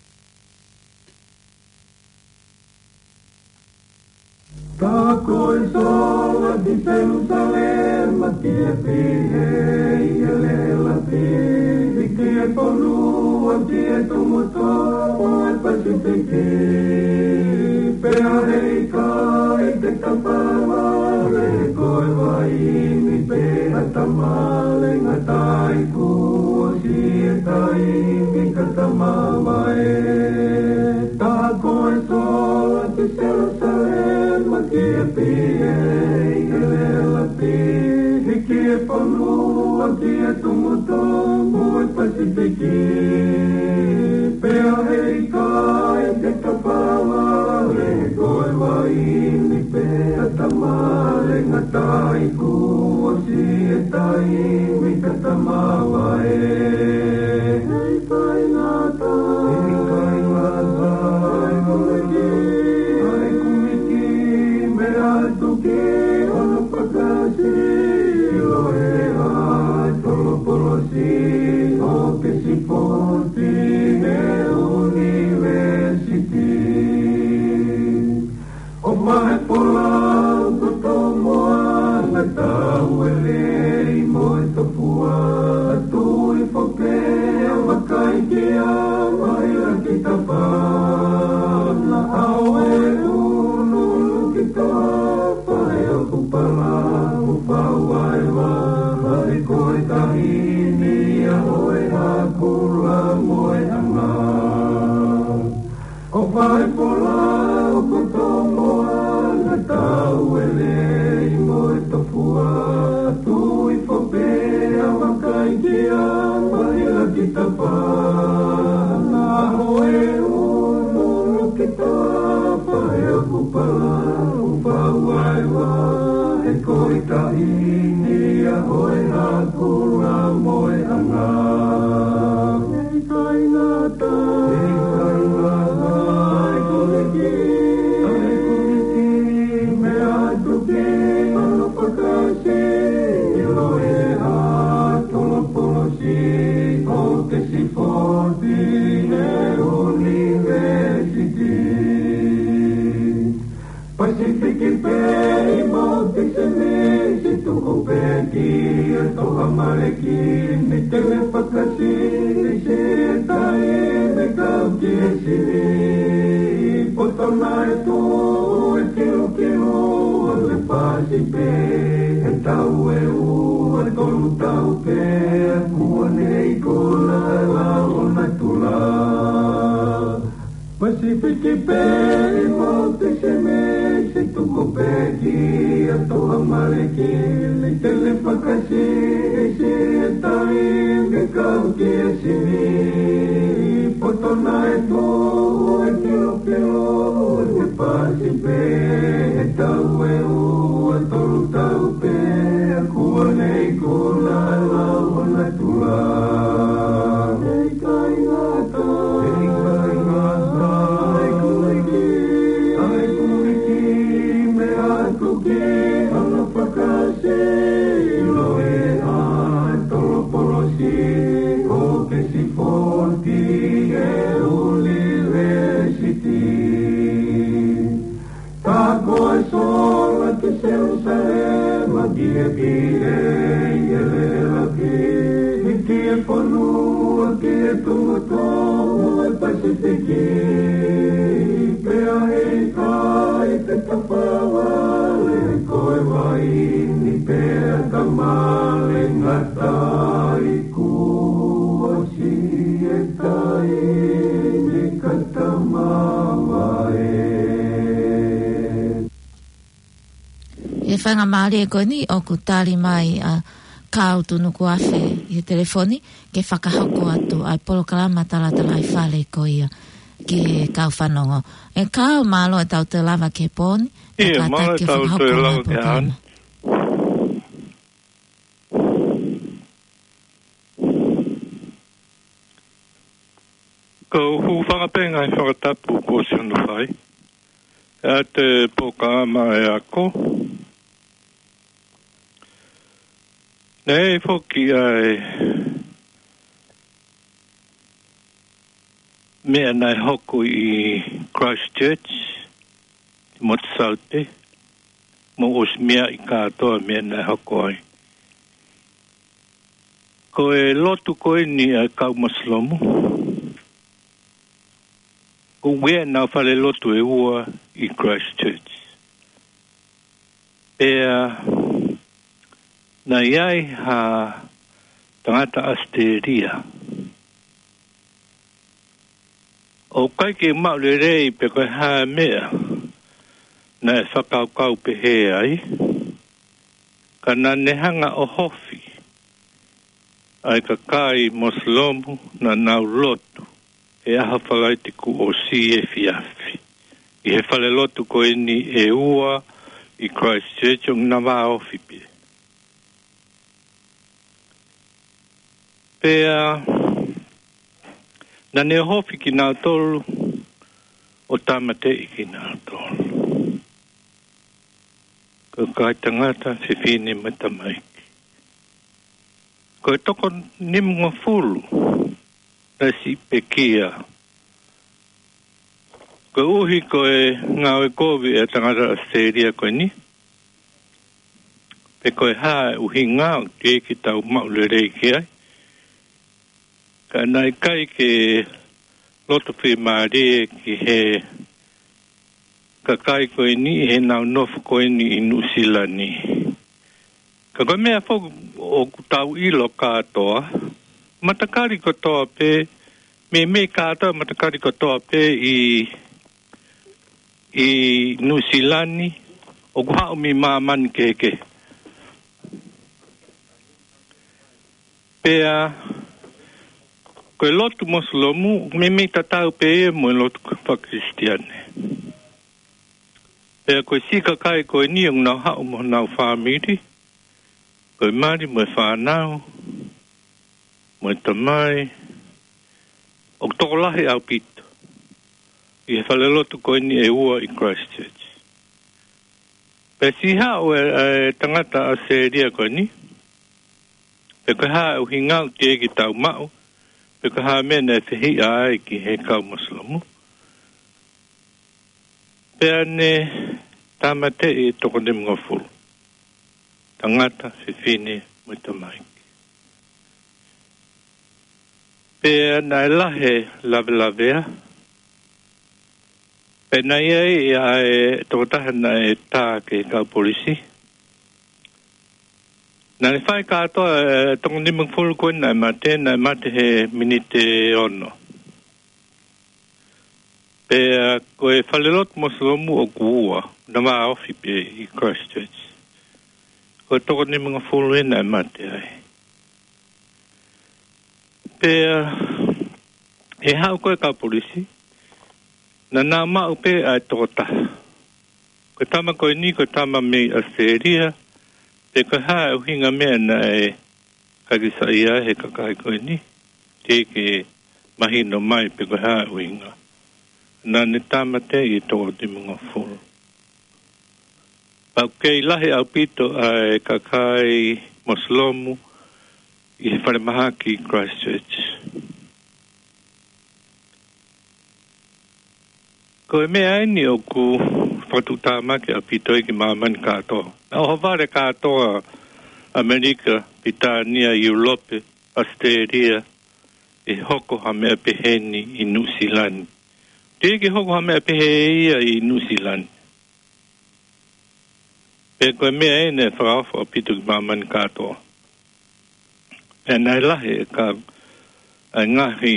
Tā ko e sola ki Selusalema ki he pihia ʻi he lēlapi, hiki e fonua ki he tumu tō ʻo e Pasifiki. Pea heʻikai te ta fāvale ko e vaini pe ha tamale ngata ai kuo ʻosi e taimi ka ta mavae. Tā ko e sola ki Selusalema ki he pihia ʻi he lēlapi, hiki e fonua ki he tumu tō ʻo e Pasifiki. Pea heʻikai te ta fāvale ko e vaini pe ha tamale ngata ai kuo ʻosi e taimi ka ta mavae. Heʻikai ngata, heʻikai ngata, ʻa e kumiti, ʻa e kumiti, meʻa atu ki hono fakasilo ʻe he ʻAtolopolosi ʻo Oxford ʻi he ʻunivēsiti. ʻO fai folau ko Tomoana, tau e lei mo e tofua, tui foke ʻa vakai ki a mai la ki ta pā. Na ʻao e unu ki ta pā e ʻoku pala, ʻo fau ai wa, ʻa e ko e taʻahine ʻa ʻo e hakula mo e anga. ʻO fai folau ko Tomoana, tau e lei mo e tofua, tui foke ʻa vakai ki a mai la ki ta pā. Na ʻao e unu ki ta pā e ʻoku pala, ʻo fau ai wa, ʻa e ko e taʻahine ʻa ʻo e hakula mo e anga. Heʻikai ngata, heʻikai ngata, ʻa e ko e ki Pē ʻi Mōtesene, se tuku pē ki he toʻa Maleki, ne tele fakasi, se tai me kau ki he sini. Poto naʻe tuʻu e kilokilo, ʻo ne pasi pē he tau ʻe ua, tolu tau pē, kuo ne ʻi kona ʻa e lao natula. Pasifiki pē ʻi Mōtesene, se tuku pē ki he toʻa Maleki, ne tele fakasi, se tai me kau ki he sini. Poto naʻe tuʻu e kilokilo, ʻo ne pasi pē he tau ʻe ua, tolu tau pē, kuo ne ʻi kona ʻa e lao natula. ʻIkai ngata, ʻikai ngata, ʻa e kuliki, ʻa e kuliki meʻa tuki, ʻa e fakasi, ʻilo e ʻa e tolopolosi, ʻo ke sifoti e ʻunivēsiti. Tā ko e sola ki Selūsalema, ki he pile ʻi he lelapi, ki he fonua, ki he tumutumu ʻo e Pasifiki. Pea ʻikai te ta fāvale ko e vaini, pea ta male ngata ʻi kuo siʻi e taimi ka ta mavae. ʻI he faingamālie ko eni ʻoku tali mai ʻa Kau Tunukuafe ʻi he telefoni ke fakahoko atu ʻa e polokalama Talatalaifale ko ia ki he kau fanongo. ʻE Kau, mālō e tau te lava ke poni. ʻIa, mālō e tau te lava ke hana. Ko u hūfanga pē he ngaahi fakatapu kuo ʻosi hono fai ʻa e polokalama ʻa e ako. Naʻe foki ʻa e meʻa naʻe hoko ʻi Christchurch, ʻi Motusaute, mou ʻosi meaʻi kātoa e meʻa naʻe hoko ai. Ko e lotu ko eni ʻa e kau Masilomu, ko e ʻuhinga ʻenau falelotu ʻe ua ʻi Christchurch. Pea naʻe ʻi ai ha tangata ʻAositelēlia. ʻOku ʻikai ke maʻu lelei pe ko e hā e meʻa naʻe fakakaukau pehē ai, ka naʻa ne hanga ʻo ʻohofi ʻa e kakai Masilomu naʻa nau lotu he ʻaho Falaite kuo ʻosi efiafi ʻi he falelotu ko eni ʻe ua ʻi Christchurch, ʻo na vāofi pē. Pea naʻa ne ʻohofi kinautolu ʻo tāmateʻi kinautolu. Ko e kakai tangata, fefine mo e tamaiki. Ko e toko nimangofulu naʻe siʻi pekia. Koeʻuhi ko e ngāue kovi ʻa e tangata ʻAositelēlia ko eni, pe ko e hā e ʻuhinga ʻoku teʻeki ke tau maʻu lelei ki ai. Ka naʻe ʻikai ke loto fiemālie ki he kakai ko eni ʻi heʻenau nofo ko eni ʻi Nuʻusila ni. Ka ko e meʻa foki ʻoku tau ʻilo kātoa, matakali kotoa pē, meimei kātoa matakali kotoa pē ʻi, ʻi Nuʻusila ni, ʻoku haʻu mei māmani kehekehe. Pea ko e lotu Masilomu, meimei tatau pē ia mo e lotu faka-Kalisitiane. Pea ko e siʻi kakai ko eni ʻoku nau haʻu mo honau fāmili, ko e mali mo e fānau, mo e tamai, ʻoku tokolahi ʻaupito ʻi he falelotu ko eni ʻe ua ʻi Christchurch. Pea siʻi haʻu e, e tangata ʻAositelēlia ko eni, pe ko e hā e ʻuhinga ʻoku teʻeki ke tau maʻu, pe ko e hā e meʻa naʻe fehiʻa ai ki he kau Masilomu. Pea ne tāmateʻi e toko nimangofulu, tangata, fefine mo e tamaiki. Pea naʻe lahi e lavelavea, pea naʻe ʻi ai ʻa e tokotaha naʻe tā ki he kau polisi. Naʻe fai kātoa e toko nimangofulu ko ē naʻe mate, naʻe mate he miniti ʻe ono. Pea ko e falelotu Mosolomu ʻoku ua, naʻe vāofi pē ʻi Christchurch. Ko e toko nimangofulu ē naʻe mate ai. Pea ʻi he haʻu ko ē e kau polisi, naʻa nau maʻu pē ʻa e tokotaha. Ko e tama ko eni, ko e tama mei ʻAositelēlia, pea ko e hā e ʻuhinga meʻa naʻe ʻikai ke saiʻia he kakai ko eni, teʻeki ke mahino mai pe ko e hā e ʻuhinga. Naʻa ne tāmateʻi e toko nimangofulu. Pea ʻoku kei lahi ʻaupito ʻa e kakai Mosolomu ʻi he falemahaki Christchurch. Ko e meʻa eni ʻoku fakatuʻutāmaki ʻaupito ai ki māmani kātoa. Naʻe ʻohovale kātoa ʻAmelika, Pilitānia, ʻIulope, ʻAositelēlia, ʻe hoko ha meʻa pehē ni ʻi Nuʻusila ni. Teʻeki ke hoko ha meʻa pehē ia ʻi Nuʻusila ni. Pea ko e meʻa eni naʻe fakaofo ʻaupito ki māmani kātoa. Pea naʻe lahi e ka, ʻa e ngaahi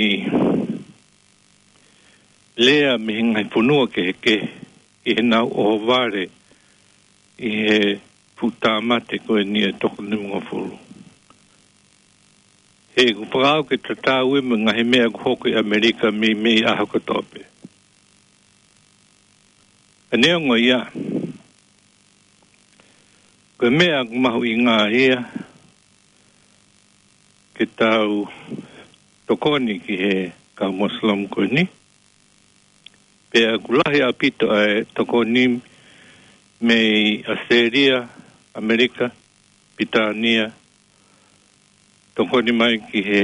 lea mei he ngaahi fonua kehekehe ʻi heʻenau ʻohovale ʻi he fuʻu tāmate ko eni e toko nimangofulu. He ʻoku fakaʻau ke tatau ia mo e ngaahi meʻa ʻoku hoko ʻi ʻAmelika mei, mei he ʻaho kotoa pē. Ka neongo ia, ko e meʻa ʻoku mahuʻinga ia ke tau tokoni ki he kau Muslim ko eni. Pea ʻoku lahi ʻaupito ʻa e tokoni mei ʻAositelēlia, ʻAmelika, Pilitānia, tokoni mai ki he,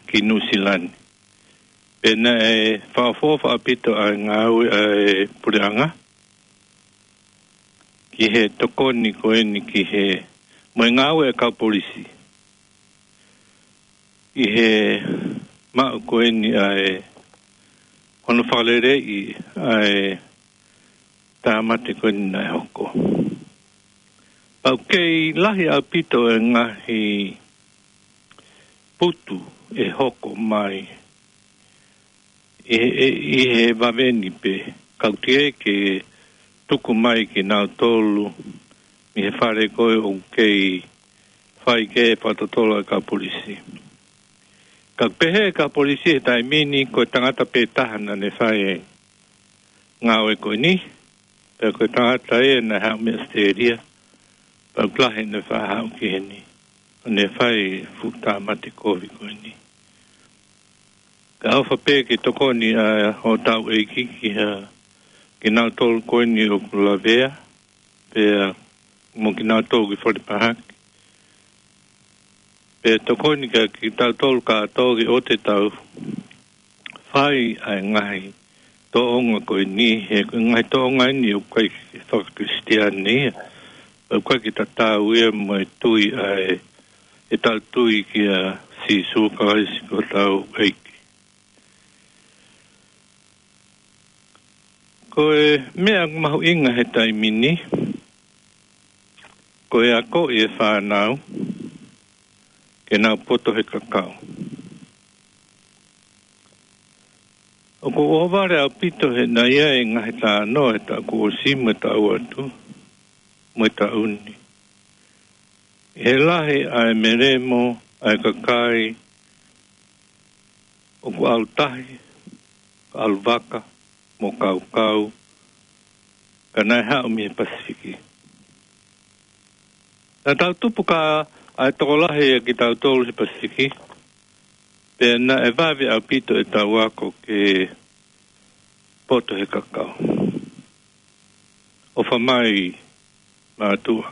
ki Nuʻusila ni. Pea naʻe fakaʻofoʻofa ʻaupito ʻa e ngāue ʻa e puleʻanga ki he tokoni ko eni ki he, mo e ngāue ʻa e kau polisi ʻi he maʻu ko eni ʻa e hono fakaleleiʻi ʻa e tāmate ko eni naʻe hoko. Pea ʻoku kei lahi ʻaupito e ngaahi putu ʻe hoko mai ʻi he, ʻi he vave ni pē, ka ʻoku teʻeki ke tuku mai kinautolu mei he fale ko ē ʻoku kei fai ki ai e fakatotolo ʻa e kau polisi. Ka ʻoku pehē ʻe he kau polisi he taimi ni ko e tangata pē taha naʻa ne fai e ngāue ko eni, pea ko e tangata ia naʻe haʻu mei ʻAositelēlia, pea ʻoku lahi naʻe faʻa haʻu ki heni, ʻo ne fai e fuʻu tāmate kovi ko eni. Ka ʻofa pē ke tokoni ʻa hotau ʻEiki ki ha, kinautolu ko eni ʻoku lavea, pea mo kinautolu ʻoku falemahaki. Pea tokoni kia kitautolu kātoa ke ʻoua te tau fai ʻa e ngaahi tōʻonga ko eni, he ko e ngaahi tōʻonga eni ʻoku ʻikai ke faka-Christian ia. ʻOku ʻikai ke tatau ia mo e tui ʻa e, ʻetau tui kia Sīsū Kalaisi ko hotau ʻEiki. Ko e meʻa mahuʻinga he taimi ni, ko e akoʻi e fānau ke nau poto he kakau. ʻOku ou ʻohovale ʻaupito he naʻe ʻi ai e ngaahi talanoa he taʻu kuo ʻosi mo e taʻu atu, mo e taʻu ni. ʻI he lahi ʻa e melemo ʻa e kakai ʻoku ʻalu tahi, ʻalu vaka, mo kaukau, ka naʻe haʻu mei he Pasifiki. Naʻa tau tupu ka ʻa e tokolahi ʻa kitautolu he Pasifiki, pea naʻe vave ʻaupito ʻetau ako ke poto he kakau. ʻOfa mai mātuʻa,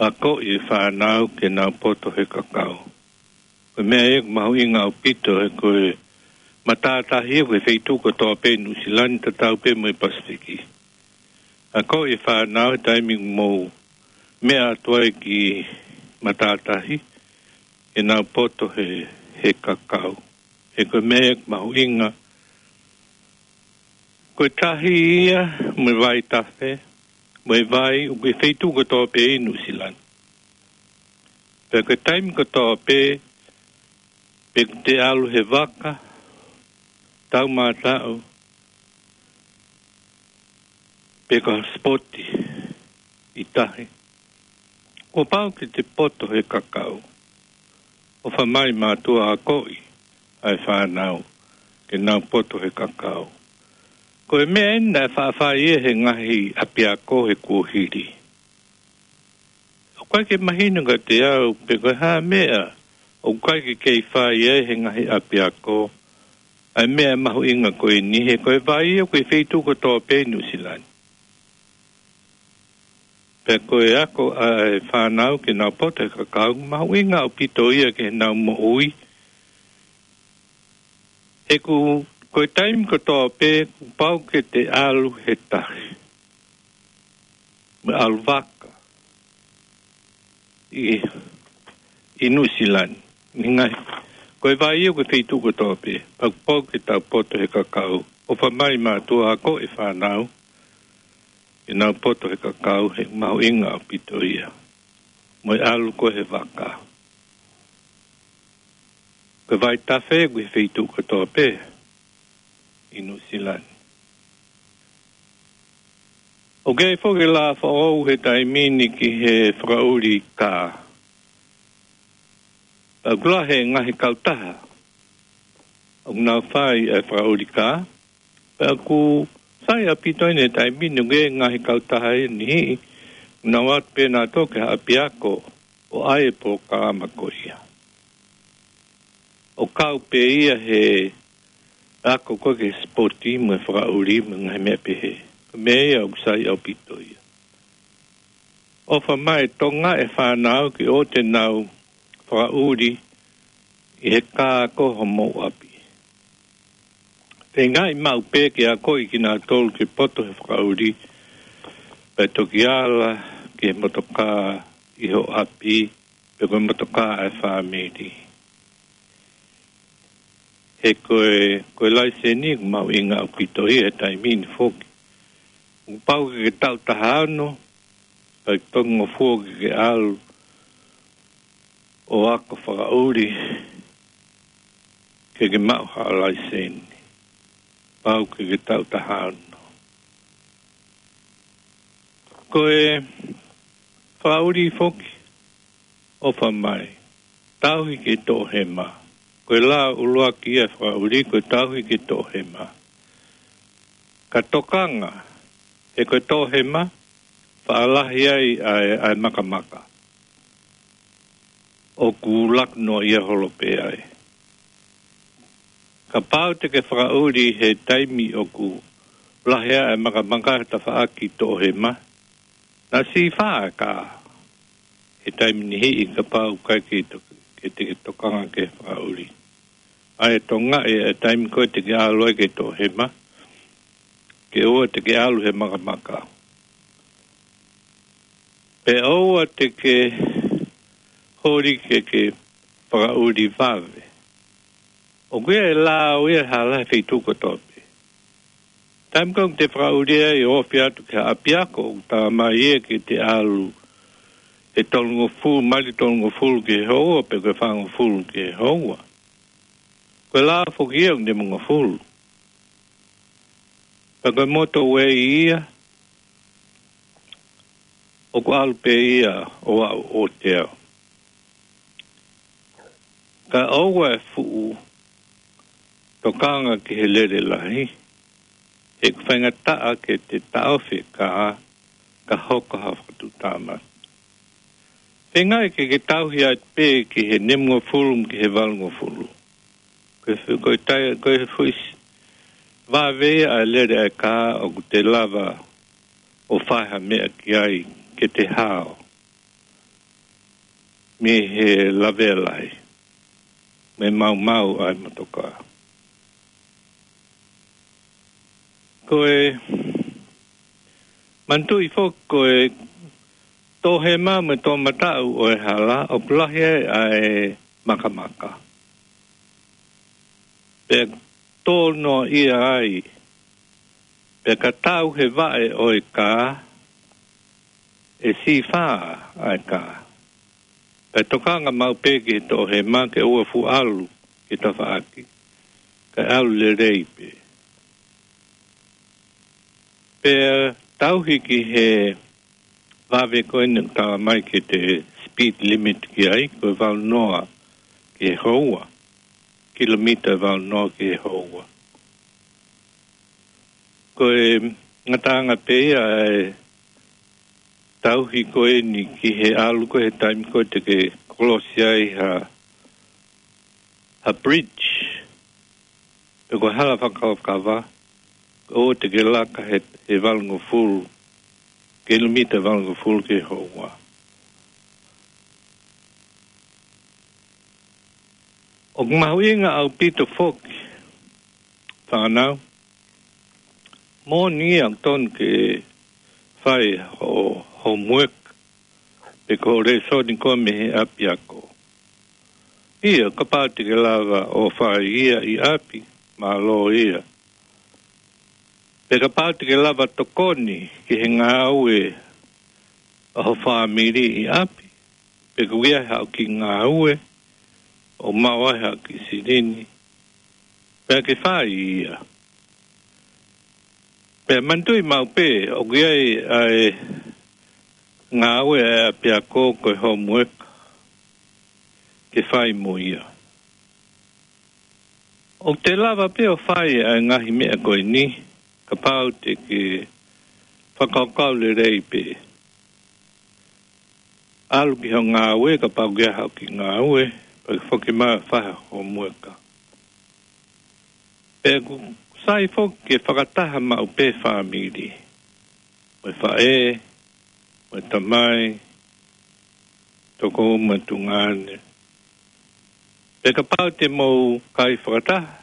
akoʻi e fānau ke nau poto he kakau. Ko e meʻa ia ʻoku mahuʻinga ʻaupito he ko e matātahi ia ko e feituʻu kotoa pē ʻi Nuʻusila ni tatau pē mo e Pasifiki. Akoʻi e fānau he taimi ʻoku mou meʻa atu ai ki matātahi, ke nau poto he, he kakau. He ko e meʻa mahuʻinga, ko e tahi ia mo e vaitafe, mo e vai, ʻoku ʻi he feituʻu kotoa pē ʻi Nuʻusila ni. Pea ko e taimi kotoa pē, pe ʻoku te ʻalu he vaka, taumātaʻu, pe ko ha sipoti ʻi tahi, kuo pau ke te poto he kakau. ʻOfa mai mātuʻa, akoʻi ʻa e fānau ke nau poto he kakau. Ko e meʻa eni naʻe faʻa fai ia he ngaahi ʻapiako he kuohili. ʻOku ʻikai ke mahino kiate au pe ko e hā e meʻa ʻoku ʻikai ke kei fai ai he ngaahi ʻapiako ʻa e meʻa mahuʻinga ko eni, he ko e vai ʻoku ʻi he feituʻu kotoa pē ʻi Nuʻusila ni. Pea ko e ako ʻa e fānau ke nau poto he kakau, mahuʻinga ʻaupito ia ki heʻenau moʻui. He ʻoku, ko e taimi kotoa pē, kuo pau ke te ʻalu he tahi, mo e ʻalu vaka ʻi, ʻi Nuʻusila ni. Ngaahi, ko e vai ʻoku ʻi he feituʻu kotoa pē, pea kuo pau ke tau poto he kakau. ʻOfa mai mātuʻa, akoʻi e fānau ke nau poto he kakau, he mahuʻinga ʻaupito ia. Mo e ʻalu ko ē he vaka. Ko e vaitafe ʻoku ʻi he feituʻu kotoa pē ʻi Nuʻusila ni. ʻOku ʻi ai foki e laʻā foʻou he taimi ni ki he fakaʻuli kā. Pea ʻoku lahi e ngaahi kautaha ʻoku nau fai e fakaʻuli kā. Pea ʻoku sai ʻaupito eni he taimi ni, ʻoku ʻi ai e ngaahi kautaha ʻe niʻihi ʻoku nau ō atu pē nautolu ki ha ʻapiako ʻo ʻai e polokalama ko ia. ʻO kau pē ia he ako ko ē ki he sipoti mo e fakaʻuli mo e ngaahi meʻa pehē. Ko e meʻa ia ʻoku sai ʻaupito ia. ʻOfa mai e Tonga e fānau ke ʻoua te nau fakaʻuli ʻi he kā ko homou ʻapi. Feingaʻi maʻu pē ke akoʻi kinautolu ke poto he fakaʻuli, pea toki ala ki he motokā ʻi ho ʻapi, pe ko e motokā ʻa e fāmili. He ko e, ko e laiseni ʻoku mahuʻinga ʻaupito ia he taimi ni foki. Kuo pau ke ke taʻu taha ono, pea ke tolungofulu ke ke ʻalu ʻo ako fakaʻuli ke ke maʻu ha laiseni. Pau ke ke taʻu taha ono. Ko e fakaʻuli foki, ʻofa mai, tauhi ke toʻohema. Ko e laʻā ʻuluaki ia e fakaʻuli, ko e tauhi ke toʻohema. Ka tokanga, he ko e toʻohema, faʻa lahi ai ʻa e, ʻa e makamaka. ʻOku laku noa ia holo pē ai. Kapau te ke fakaʻuli he taimi ʻoku lahi ai e makamaka he tafaʻaki toʻohema, naʻa sīfā e kā he taimi niʻihi kapau ʻoku ʻikai ke to-, ke te ke tokanga ki he fakaʻuli. ʻA e Tonga ē, e taimi ko ē te ke ʻalu ai ki he toʻohema, ke ʻoua te ke ʻalu he makamaka. Pea ʻoua te ke holi ke ke fakaʻuli vave. ʻOku ʻi ai e lao ia ʻe hala he feituʻu kotoa pē. Taimi ko ē ʻoku te fakaʻuli ai ʻo ofi atu ki ha ʻapiako, ʻoku talamai ia ke te ʻalu he tolungofulu, maili tolungofulu ki he houa, pe ko e fāngofulu ki he houa. Ko e lao foki ia ʻoku nimangofulu. Pea ko e motorway ia, ʻoku ʻalu pē ia ʻo aʻu ʻo te aʻu. Ka ʻoua e fuʻu tokanga ki he lele lahi, he ʻoku faingataʻa ke te taʻofi e kā, ka hoko ha fakatuʻutāmaki. Feingaʻi ke ke tauhi atu pē ki he nimangofulu mo ki he valungofulu. Ko e fu-, ko e tai-, ko e fuʻu s-, vave ia ʻa e lele ʻa e kā ʻoku te lava ʻo fai ha meʻa ki ai ke te hao mei he lavea lahi, mei he maumau ʻa e motokā. Ko e Manatuʻi foki ko e toʻohema mo e toʻomataʻu ʻo e hala ʻoku lahi ai ʻa e makamaka. Pea tō noaʻia ai, pea ka tau he vaʻe ʻo e kā, ʻe sifā ʻa e kā. Pea tokanga maʻu pē ki he toʻohema ke ʻoua fuʻu ʻalu ki tafaʻaki, kae ʻalu lelei pē. Pea tauhi ki he vave ko eni ʻoku tala mai ke te speed limit ki ai, ko e valu noa ki he houa, kilomita valu noa ki he houa. Ko e ngataʻanga pē ia e tauhi ko eni ki he ʻalu ko ē he taimi ko ē te ke kolosi ai ha, ha bridge, pe ko e hala fakakavakava, ʻo te ke laka he, he valungofulu, kilomita valungofulu ki he houa. ʻOku mahuʻinga ʻaupito foki, fānau, moʻoni ia ʻoku totonu ke fai hoʻo homework, pe ko e lēsoni ko ē mei he ʻapiako. ʻIo, kapau te ke lava ʻo fai ia ʻi ʻapi, mālō ia. Pea kapau te ke lava tokoni ki he ngāue ʻa ho fāmili ʻi ʻapi, pe ko ia haʻo kiʻi ngāue, ʻo maʻu ai haʻo kiʻi silini, pea ke fai ia. Pea manatuʻi maʻu pē, ʻoku ʻi ai ʻa e ngāue ʻa e ʻapiako ko e homework ke fai mo ia. ʻOku te lava pē ʻo fai ʻa e ngaahi meʻa ko eni, kapau te ke fakakaukau lelei pē. ʻAlu ki hoʻo ngāue, kapau ʻoku ʻi ai haʻo kiʻi ngāue, pea ke foki mai ʻo fai hoʻo homework. Pea ʻoku sai foki ke fakataha maʻu pē fāmili. Mo e faʻē, mo e tamai, toko mo e tuongaʻane. Pea kapau te mou kai fakataha,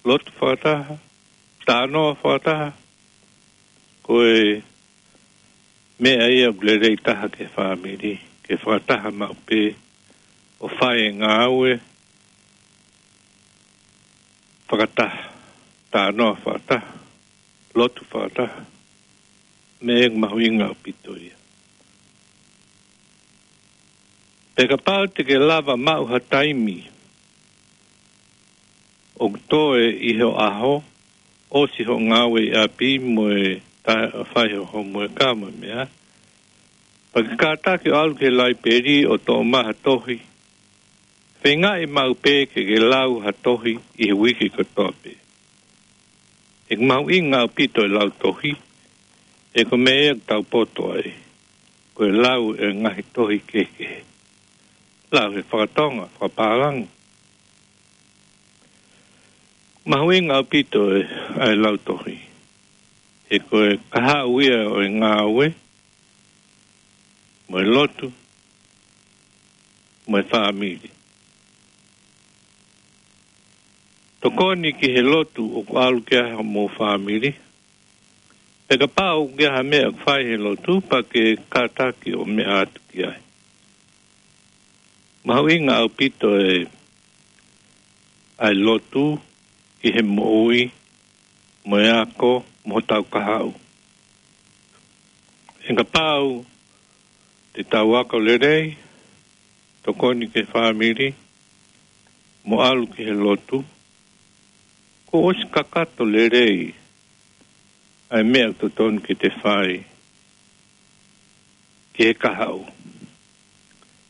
lotu fakataha, talanoa fakataha, ko e meʻa ia ʻoku lelei taha ki he fāmili, ke fakataha maʻu pē, ʻo fai e ngāue fakataha, talanoa fakataha, lotu fakataha, meʻa ia ʻoku mahuʻinga ʻaupito ia. Pea kapau te ke lava maʻu ha taimi ʻoku toe ʻi hoʻo ʻaho, ʻosi hoʻo ngāue ʻi ʻapi mo e ta-, fai hoʻo homework mo e meʻa, pea ke kātaki ʻo ʻalu ki he laipeli ʻo toʻo mai ha tohi. Feingaʻi maʻu pē ke ke lau ha tohi ʻi he uike kotoa pē. ʻOku mahuʻinga ʻaupito e lau tohi, he ko e meʻa ia ʻoku tau poto ai, ko e lau e ngaahi tohi kehekehe. Lau he fakatonga, fakapālangi. Mahuʻinga ʻaupito e, ʻa e lau tohi. He ko e kahaʻu ia ʻo e ngāue, mo e lotu, mo e fāmili. Tokoni ki he lotu ʻoku ʻalu ki ai hoʻomou fāmili. Pea kapau ʻoku ʻi ai ha meʻa ʻoku fai he lotu, pea ke kātaki ʻo meʻa atu ki ai. Mahuʻinga ʻaupito e, ʻa e lotu ki he moʻui, mo e ako, mo hotau kahaʻu. He kapau te tau ako lelei, tokoni ki he fāmili, mo ʻalu ki he lotu, kuo ʻosi kakato lelei ʻa e meʻa ʻoku totonu ke te fai ki he kahaʻu.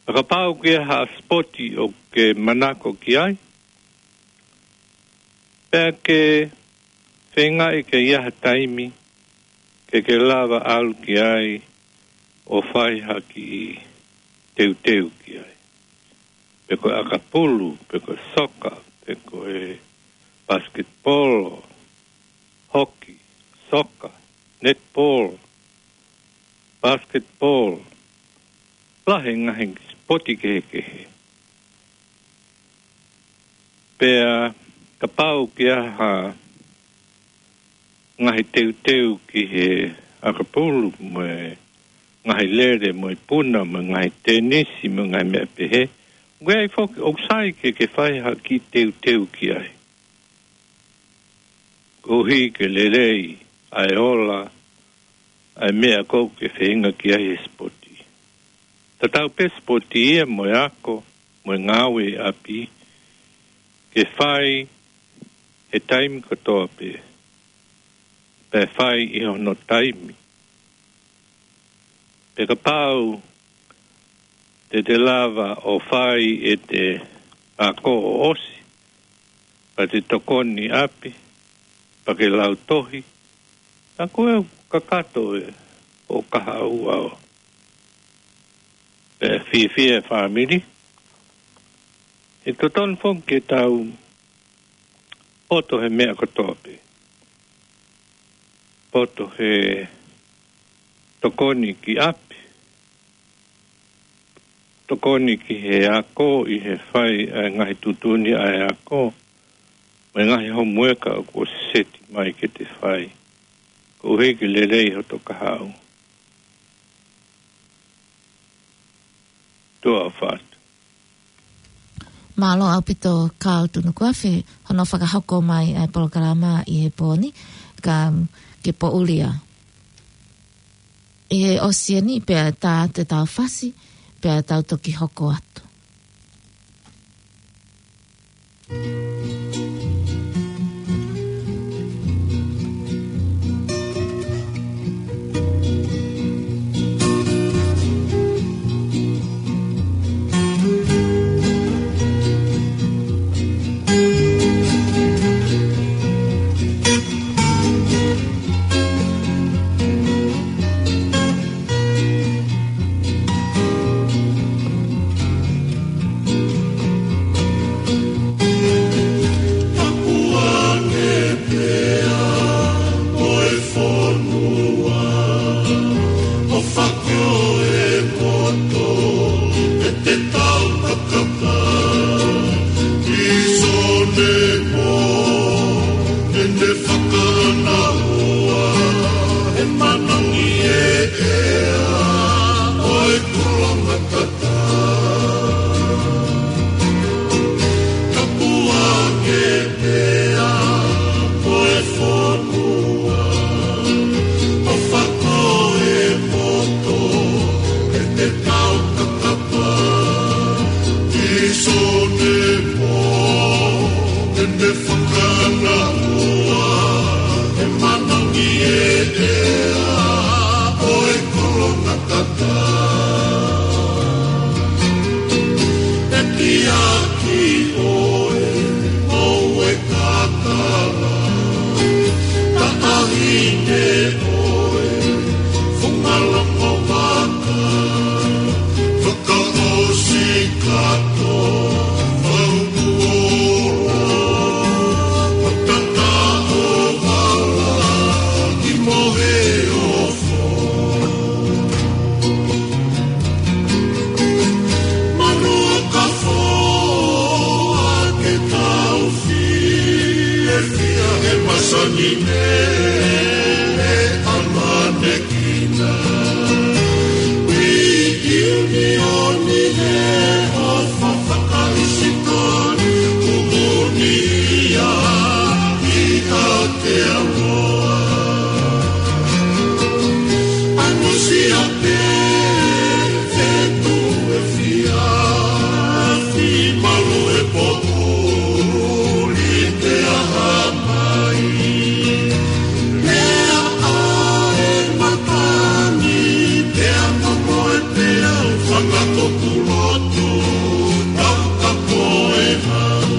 Pea kapau ʻoku ʻi ai ha sipoti ʻoku ke manako ki ai, pea ke feingaʻi ke ʻi ai ha taimi ke ke lava ʻalu ki ai ʻo fai ha kiʻi teuteu ki ai. Pe ko e ʻakapulu, pe ko e soka, pe ko e basketball, hoki, soka, netball, basketball, lahi e ngaahi sipoti kehekehe. Pea kapau ʻoku ʻi ai ha ngaahi teuteu ki he ʻakapulu, mo e ngaahi lele, mo e puna, mo e ngaahi tenisi, mo e ngaahi meʻa pehē. ʻOku ʻi ai foki, ʻoku sai ke ke fai ha kiʻi teuteu ki ai. Koeʻuhi ke lelei ʻa e ola, ʻa e meʻa ʻoku ke feinga ki ai he sipoti. Tatau pē sipoti ia mo e ako, mo e ngāue ʻi ʻapi, ke fai he taimi kotoa pē, pea fai ʻi hono taimi. Pea kapau te te lava ʻo fai ʻete ako ʻo ʻosi, pea te tokoni ʻapi, pea ke lau tohi, ka ko e kakato ē ʻo kahaʻu ʻo e fiefia e fāmili. ʻE totonu foki ke tau poto he meʻa kotoa pē. Poto he tokoni ki ʻapi. Tokoni ki he ako ʻi he fai ʻa e ngaahi tuʻutuʻuni ʻa e ako, mo e ngaahi homueka ʻoku seti mai ke te fai. Koeʻuhi ke lelei hoto kahaʻu. Tuʻa ʻofa atu. Mālō ʻaupito Carl Tunukuafe, hono fakahoko mai ʻa e polokalama ʻi he pō ni, ka ke poʻuli ā. ʻI he ʻosi eni pea tā te tau fasi, pea tau toki hoko atu. Tapuange pea mo e fonua, ʻo fakio e poto e te tau kakapa. Isone mo, ʻene fakaʻanaua, he manangi e ea, ʻo e kolonga tata. Tapuange pea mo e fonua, ʻo fakio e poto e te tau kakapa. Isone mo, ʻene fakaʻanaua, he manangi e ea, ʻo e kolonga tata. ʻE tiaki ʻoe, ʻoue kakala, taʻahine ʻoe, funga longo vaka, fakaʻosi kato, faukuola, matata o vala, ki mohe o Manuka foa ke tau fiefia he masani ne ʻamanekina. Ui iunioni he ʻofa fakaʻisitoni, kumuni ia ʻi ha te amoa. Anusia pē, fetu e fia, fi malu e potu, li te aha mai. Lea ʻa e matani, pea mo e pea, fanga koku lotu, tau kapo e hau.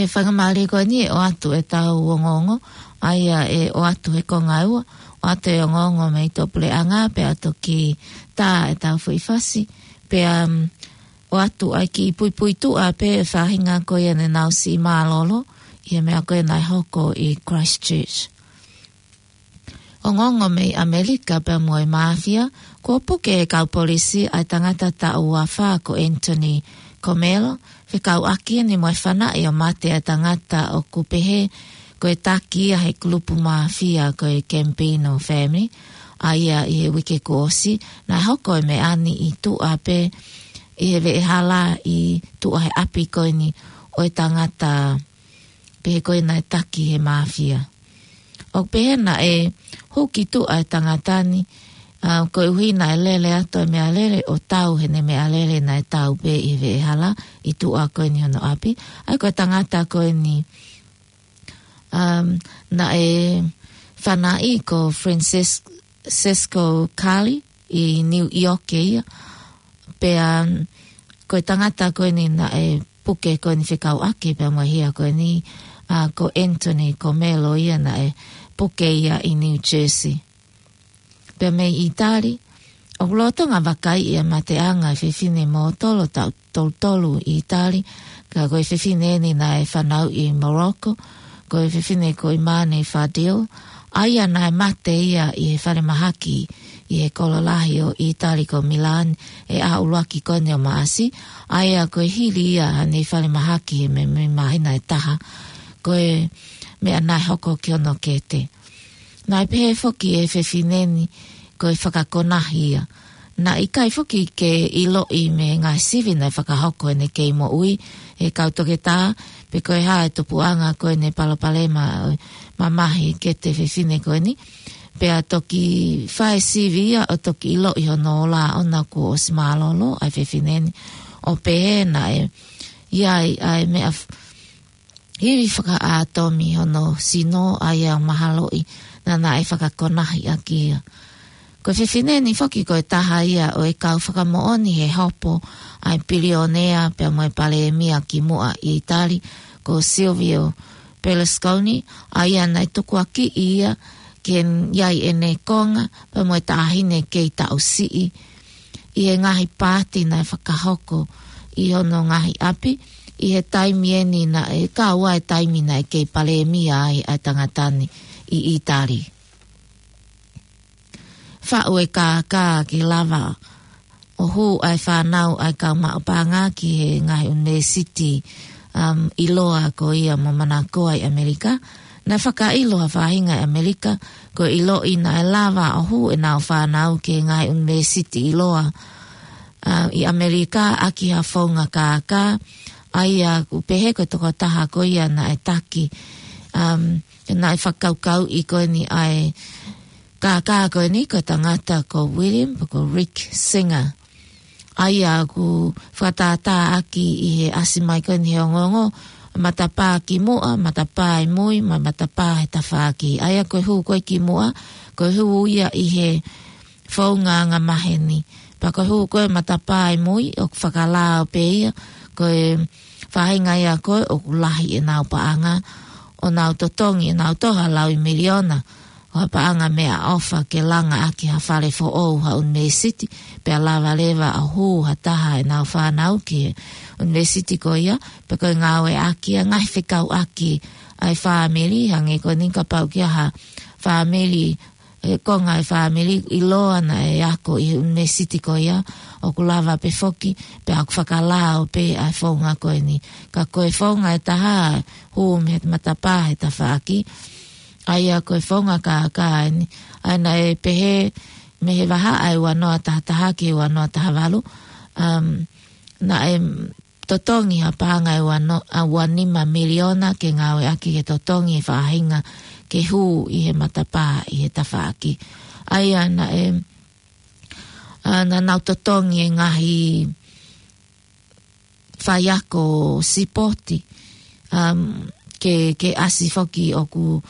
e faingamālie ko eni ʻe ʻoatu ʻetau ongoongo, ʻa ia ʻe ʻoatu he konga ʻe ua, ʻoatu e ongoongo mei tuʻapuleʻanga pea toki tā ʻetau foʻi fasi, pea, um, ʻoatu ai ki puipuituʻa pē e faʻahinga ko ia naʻa nau siʻi mālōlō ʻi he meʻa ko ia naʻe hoko ʻi Christchurch. Ongoongo mei ʻAmelika pea mo e māfia, kuo puke ʻe he kau polisi ʻa e tangata taʻu uafā ko Anthony Comello, fekauʻaki eni mo e fanaʻi ʻo mate ʻa e tangata ʻoku pehē ko e taki ia he kulupu māfia ko e Gambino Family, ʻa ia ʻi he uike kuo ʻosi, naʻe hoko e meʻa ni ʻi tuʻa pē ʻi he veʻehala ʻi tuʻa he ʻapi ko eni ʻo e tangata pehē ko ē naʻe taki he māfia. ʻOku pehē naʻe hū ki tuʻa e tangata ni, ʻa, koeʻuhi naʻe lele atu e meʻalele ʻo tau heʻene meʻalele naʻe tau pē ʻi he veʻehala ʻi tuʻa ko eni hono ʻapi. ʻA ia ko e tangata ko eni, um, naʻe fanaʻi ko Frances-, Francesco Calle ʻi New York ia. Pea ko e tangata ko eni naʻe puke ko eni fekauʻaki pea mo e hia ko eni, ʻa, ko Anthony Comello ia naʻe puke ia ʻi New Jersey. Pea mei ʻItali, ʻoku lolotonga vakaiʻi e mateʻanga e fefine mōtolo taʻu tolu tolu ʻi ʻItali, ka ko e fefine eni naʻe fanauʻi ʻi Morocco, ko e fefine ko ʻImane Fadil, ʻa ia naʻe mate ia ʻi he falemahaki ʻi he kolo lahi ʻo ʻItali ko Milan, he ʻaho ʻuluaki ko eni ʻo Maʻasi, ʻa ia ko e hili ia haʻane falemahaki he meimei māhina ʻe taha, ko e meʻa naʻe hoko ki hono kete. Naʻe pehē foki ʻe he fefine ni ko e fakakonahi ia. Naʻe ʻikai foki ke ʻiloʻi mei he ngaahi sivi naʻe fakahoko ʻene kei moʻui ʻe he kau toketā, pe ko e hā e tupuʻanga ko ʻene palopalema ʻo e mamahi kete fefine ko eni. Pea toki fai sivi ia ʻo toki ʻiloʻi hono ola ʻoʻona kuo ʻosi mālōlō ʻa e fefine ni. ʻO pehē naʻe ʻi ai ʻa e meʻa f-, ivi fakaʻātomi hono sino, ʻa ia mahaloʻi naʻa naʻe fakakonahi ʻaki ia. Ko e fefine ni foki ko e taha ia ʻo e kau fakamoʻoni he hopo ʻa e pilionea pea mo e palēmia kimuʻa ʻi ʻItali, ko Silvio Berlusconi, ʻa ia naʻe tukuakiʻi ia ke ʻi ai ʻene konga pea mo e taʻahine kei taʻu siʻi ʻi he ngaahi pāti naʻe fakahoko ʻi hono ngaahi ʻapi, ʻi he taimi eni naʻe kau ai e taimi naʻe kei palēmia ai ʻa e tangata ni ʻi ʻItali. Faʻu e kākā ke lava ʻo hū ʻa e fānau ʻa e kau maʻu paʻanga ki he ngaahi ʻunivēsiti, um, ʻiloa ko ia mo manakoa ʻi ʻAmelika. Naʻe fakaʻilo ha faʻahinga ʻi ʻAmelika, ko e ʻiloʻi naʻe lava ʻo hū ʻenau fānau ki he ngaahi ʻunivēsiti ʻiloa, uh, ʻi ʻAmelika ʻaki ha founga kākā, ʻa ia ʻoku pehē ko e tokotaha ko ia naʻe taki, um, naʻe fakakaukauʻi ko eni ʻa e kākā ko eni ko e tangata ko William, pe ko Rick Singer. ʻA ia ʻoku fakatātā ʻaki ʻi he ʻasi mai ko eni he ongoongo, matapā kimuʻa, matapā ʻi mui, mo e matapā he tafaʻaki. ʻA ia ko e hū ko ē kimuʻa, ko e hū ia ʻi he founga angamaheni. Pea ko e hū ko ē matapā ʻi mui, ʻoku fakalao pē ia, ko e faʻahinga ia ko ē ʻoku lahi ʻenau paʻanga, ʻo nau totongi ʻenau toʻo ha laui miliona ʻo ha paʻanga meʻaʻofa ke langa ʻaki ha fale foʻou ha ʻunivēsiti, pea lava leva ʻo hū ha taha ʻenau fānau ki he ʻunivēsiti ko ia, pe ko e ngāueʻaki ʻa e ngaahi fekauʻaki ʻa e fāmili, hangē ko eni kapau ʻoku ʻi ai ha fāmili, ʻe konga e fāmili ʻiloa naʻe ako ʻi he ʻunivēsiti ko ia, ʻoku lava pē foki, pea ʻoku fakalao pē ʻa e founga ko eni. Ka ko e founga ʻe taha, hū mei he matapā he tafaʻaki, ʻa ia ko e founga kākā eni, ʻa ia naʻe pehē mei he vahaʻa ʻe ua noa taha taha ki he ua noa taha valu, um, naʻe totongi ha paʻanga ʻe ua no-, ʻa ua nima miliona ke ngāueʻaki ke totongi e faʻahinga ke hū ʻi he matapā ʻi he tafaʻaki. ʻA ia naʻe, ʻa, naʻa nau totongi e ngaahi faiako sipoti, um, ke, ke ʻasi foki ʻoku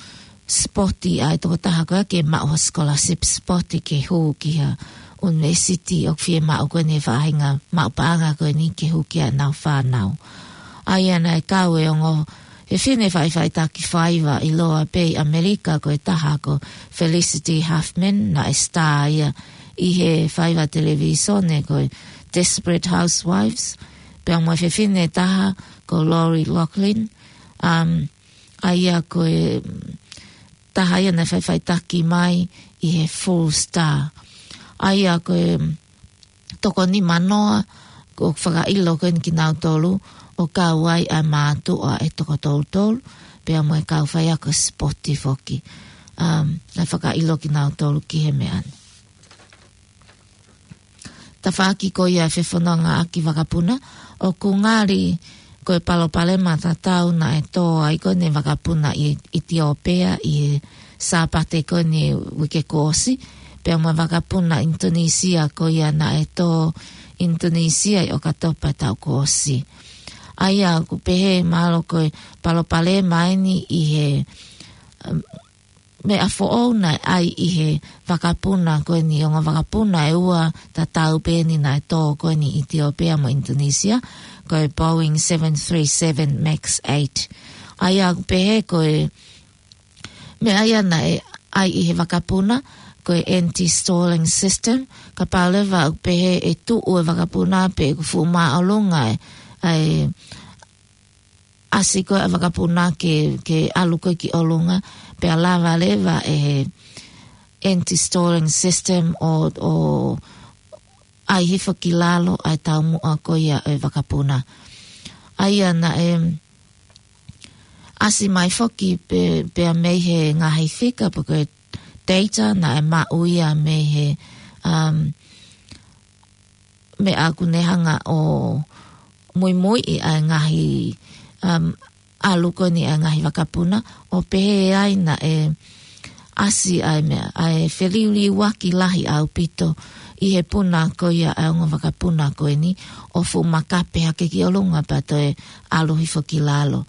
sipoti ʻa e tokotaha ko ia ke maʻu ha scholarship sipoti ke hū ki ha ʻunivēsiti ʻoku fiemaʻu ko eni e faʻahinga maʻu paʻanga ko eni ke hū ki ai ʻenau fānau. ʻA ia naʻe kau e ongo fefine faʻifaʻitaki faiva ʻiloa pē ʻi ʻAmelika ko e taha ko Felicity Huffman, naʻe star ia ʻi he faiva televīsone ko e Desperate Housewives, pea mo e fefine taha ko Lori Loughlin, um, ʻa ia ko e taha ia naʻe faʻifaʻitaki mai ʻi he Full Star. ʻA ia ko e toko nimanoa, ko e fakaʻilo ko eni kinautolu, ʻo kau ai ʻa e mātuʻa ʻe toko tolu tolu, pea mo e kau faiako sipoti foki. Um, naʻe fakaʻilo kinautolu ki he meʻa ni. Tafaʻaki ko ia e fefonongaʻaki vakapuna, ʻoku ngali ko e palopalema tatau naʻe tō ai ko eni e vakapuna ʻi ʻItiopea ʻi he Sāpate ko eni uike kuo ʻosi, pea mo e vakapuna ʻInitonisia ko ia naʻe tō ʻInitonisia ʻi ʻOkatopa taʻu kuo ʻosi. ʻA ia ʻoku pehē mahalo ko e palopalema eni ʻi he, um, meʻa foʻou naʻe ʻai ʻi he vakapuna ko eni, ongo vakapuna ʻe ua tatau pē eni naʻe tō ko eni ʻItiopea mo ʻInitonisia, ko e Boeing seven three seven Max eight. ʻA ia ʻoku pehē ko e meʻa ia naʻe ʻai ʻi he vakapuna, ko e anti-stalling system, kapau leva ʻoku pehē ʻe tuʻu e vakapuna pe ʻoku fuʻu māʻolunga e, ʻa e ʻasi ko ē ʻa e vakapuna ke, ke ʻalu ko ē ki ʻolunga, pea lava leva e anti-stalling system ʻo, ʻo ʻai hifo ki lalo ʻa e taumuʻa ko ia e vakapuna. ʻA ia naʻe ʻasi mai foki pē, pea mei he ngaahi fika pe ko e data naʻe maʻu ia mei he, um, meʻa ʻoku ne hanga ʻo muimuiʻi ʻa e ngaahi, um, ʻalu ko eni ʻa e ngaahi vakapuna, ʻo pehē ai naʻe ʻasi ʻa e meʻa, ʻa e feliuliuaki lahi ʻaupito ʻi he puna ko ia ʻa e ongo vakapuna ko eni, ʻo fuʻu makape hake ki ʻolunga pea toe ʻalu hifo ki lalo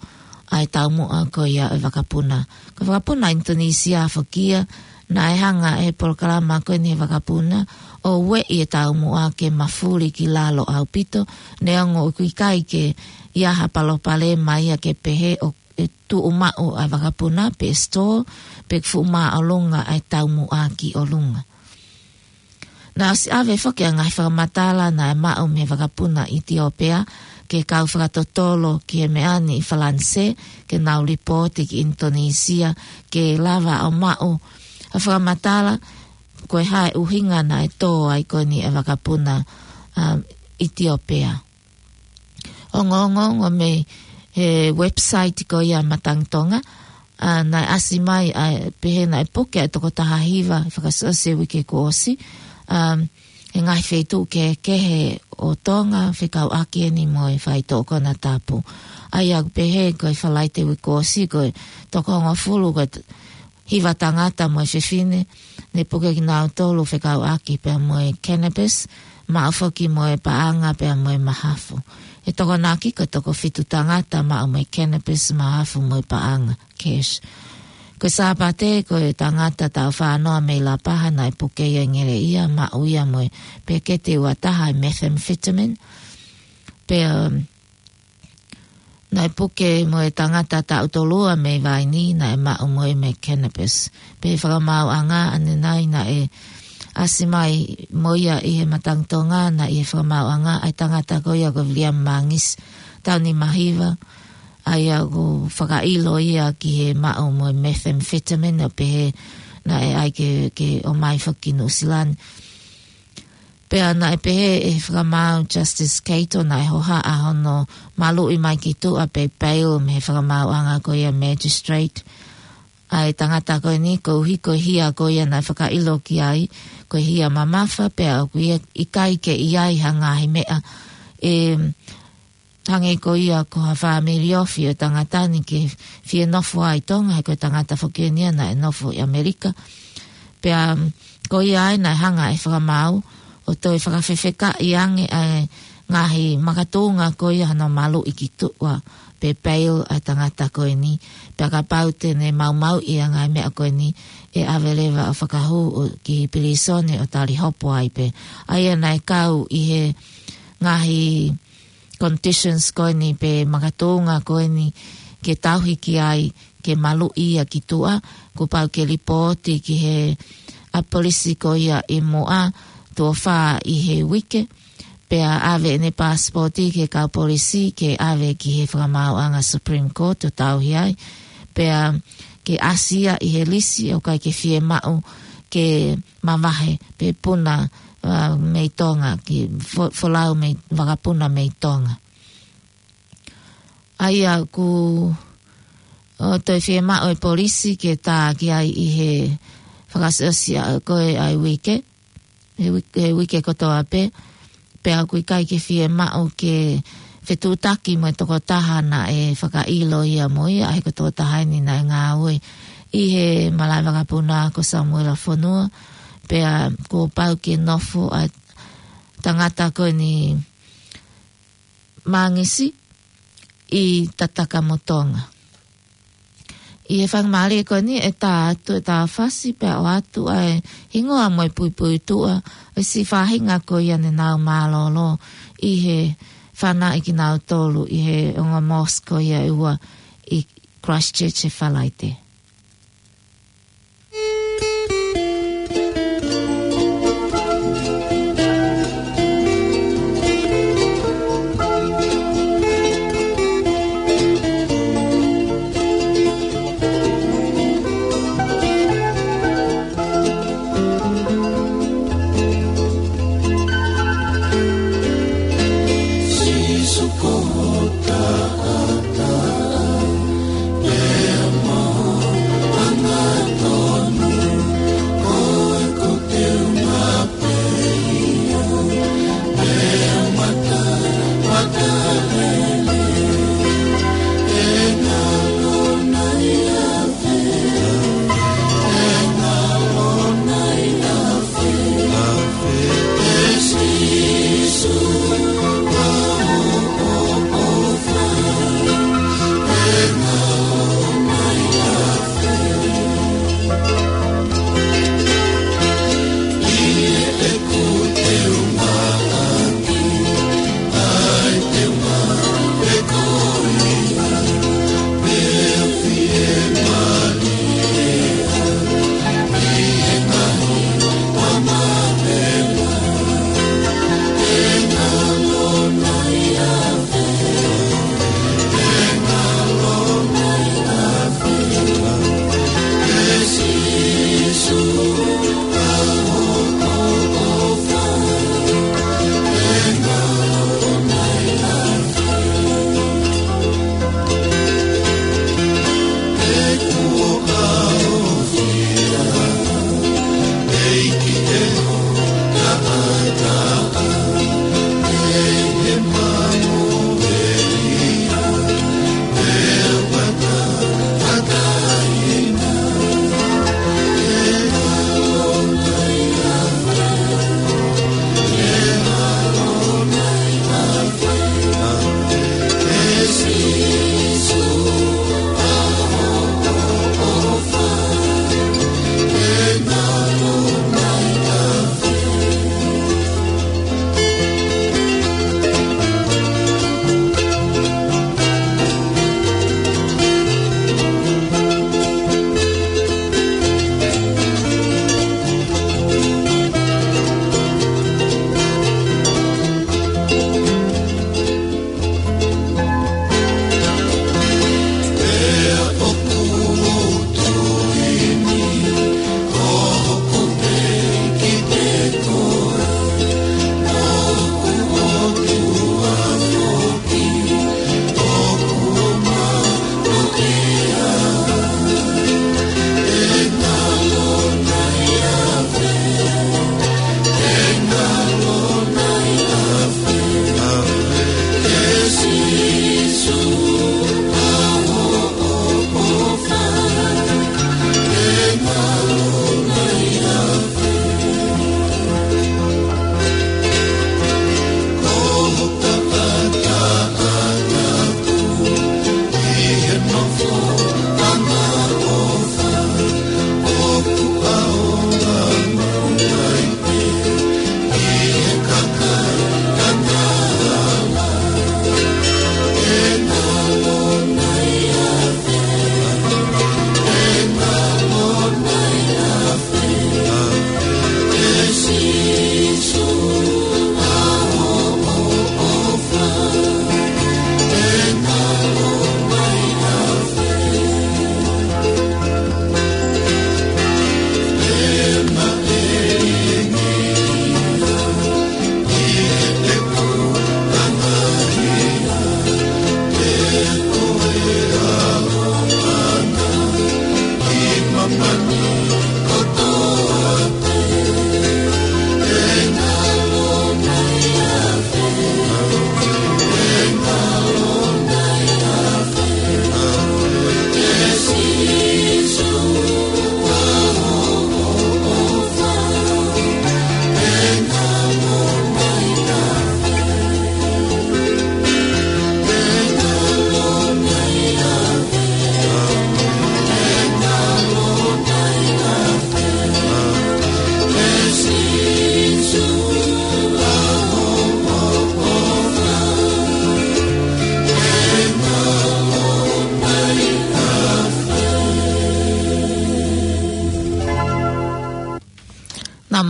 ʻa e taumuʻa ko ia e vakapuna. Ko e vakapuna ʻInitonisia foki ia, naʻe hanga ʻe he polokalama ko eni he vakapuna ʻo ueʻi e taumuʻa ke mafuli ki lalo ʻaupito, neongo ʻoku ʻikai ke ʻi ai ha palopalema ia ke pehē ʻoku tuʻu maʻu ʻa e vakapuna pe store, pe fuʻu māʻolunga ʻa e taumuʻa ki ʻolunga. Naʻe ʻosi ʻave foki ʻa e ngaahi fakamatala naʻe maʻu mei he vakapuna ʻItiopea ki he kau fakatotolo ki he meʻa ni ʻi Falanisē, ke nau lipooti ki ʻInitonisia, ke lava ʻo maʻu ha fakamatala ko e hā e ʻuhinga naʻe tō ai ko eni e vakapuna, um, ʻItiopea. Ongoongo mei he website ko ia Matangi Tonga, ʻa, naʻe ʻasi mai, ʻa, pehē naʻe puke ʻa e toko taha hiva fakaʻosi ʻo e uike kuo ʻosi, um, he ngaahi feituʻu kehekehe ʻo Tonga, fekauʻaki eni mo e faitoʻo konatapu. ʻA ia ʻoku pehē ko e Falaite uike kuo ʻosi ko e toko hongofulu ko e t-, hiva tangata mo e fefine, ne puke kinautolu fekauʻaki pea mo e cannabis, maʻu foki mo e paʻanga pea mo e mahafu. ʻE Tokonaki ko e toko fitu tangata maʻu mo e cannabis, mahafu mo e paʻanga, cash. Ko e Sāpate, ko e tangata taʻu fānoa mei Lapaha naʻe puke ia ʻi Ngeleʻia, maʻu ia mo e peketi ua taha e methamphetamine. Pea, um, naʻe puke mo e tangata taʻu tolu ua mei Vainī, naʻe maʻu mo ia mo e cannabis. Pea fakamaauʻanga ʻanenai naʻe ʻasi mai mo ia ʻi he Matangi Tonga, naʻe ʻi he fakamaauʻanga ʻa e tangata ko ia ko Viliami Mangisi, taʻu nima hiva, ʻa ia ʻoku fakaʻilo ia ki he maʻu mo e methamphetamine, ʻo pehē naʻe ʻai ke, ke ʻomai foki ki Nuʻusila ni. Pea naʻe pehē ʻe he fakamaau Justice Keito naʻe hohaʻa hono maluʻi mai ki tuʻa pe bail mei he fakamaauʻanga ko ia magistrate ʻa e tangata ko eni, koeʻuhi ko e hia ko ia naʻe fakaʻilo ki ai, ko e hia mamafa, pea ʻoku ʻikai ke ʻi ai ha ngaahi meʻa ʻe hangē ko ia ko ha fāmili ofi ʻo e tangata ni ke fie nofo ai ʻi Tonga, he ko e tangata foki eni ia naʻe nofo ʻi ʻAmelika. Pea, um, ko ia ai naʻe hanga ʻe he fakamaau ʻo toe fakafefekaʻi ange ʻa e ngaahi makatuʻunga ko ia hono maluʻi ki tuʻa pe bail ʻa e tangata ko eni. Pea kapau te ne maumauʻi ʻa e ngaahi meʻa ko eni, ʻe ʻave leva ʻo fakahū ʻo ki pilīsone ʻo tali hopo ai pē. ʻA ia naʻe kau ʻi he ngaahi conditions ko eni pe makatuʻunga ko eni ke tauhi ki ai ke maluʻi ia ki tuʻa, kuo pau ke lipooti ki he ʻapi polisi ko ia ʻi muʻa tuʻo fā ʻi he uike. Pea ʻave ʻene pasipoti ki he kau polisi ke ʻave ki he fakamaauʻanga Supreme Court ʻo tauhi ai. Pea ke ʻasi ia ʻi he lisi ʻoku ʻikai ke fiemaʻu ke mavahe pe puna, ā, mei Tonga, ke fo-, folau mei, vakapuna mei Tonga. ʻA ia kuo toe fiemaʻu e polisi ke tā ki ai ʻi he fakaʻosiʻosi ʻa ko ē ʻa e uike, he uike, he uike kotoa pē, pea ʻoku ʻikai ke fiemaʻu ke fetuʻutaki mo e tokotaha naʻe fakaʻilo ia mo ia, ʻa ia ko e tokotaha eni naʻe ngāue ʻi he malaʻe vakapuna ko Samuela Fonua, pea kuo pau ke nofo ʻa e tangata ko eni Mangisi ʻi Tataka mo Tonga. ʻI he faingamālie ko eni ʻe tā atu e tā fasi pea ʻoatu ʻa e hingoa mo e puipuituʻa ʻo e siʻi faʻahinga ko ia naʻa nau mālōlō ʻi he fānaʻi kinautolu ʻi he ongo mosque ko ia ʻe ua ʻi Christchurch he Falaite.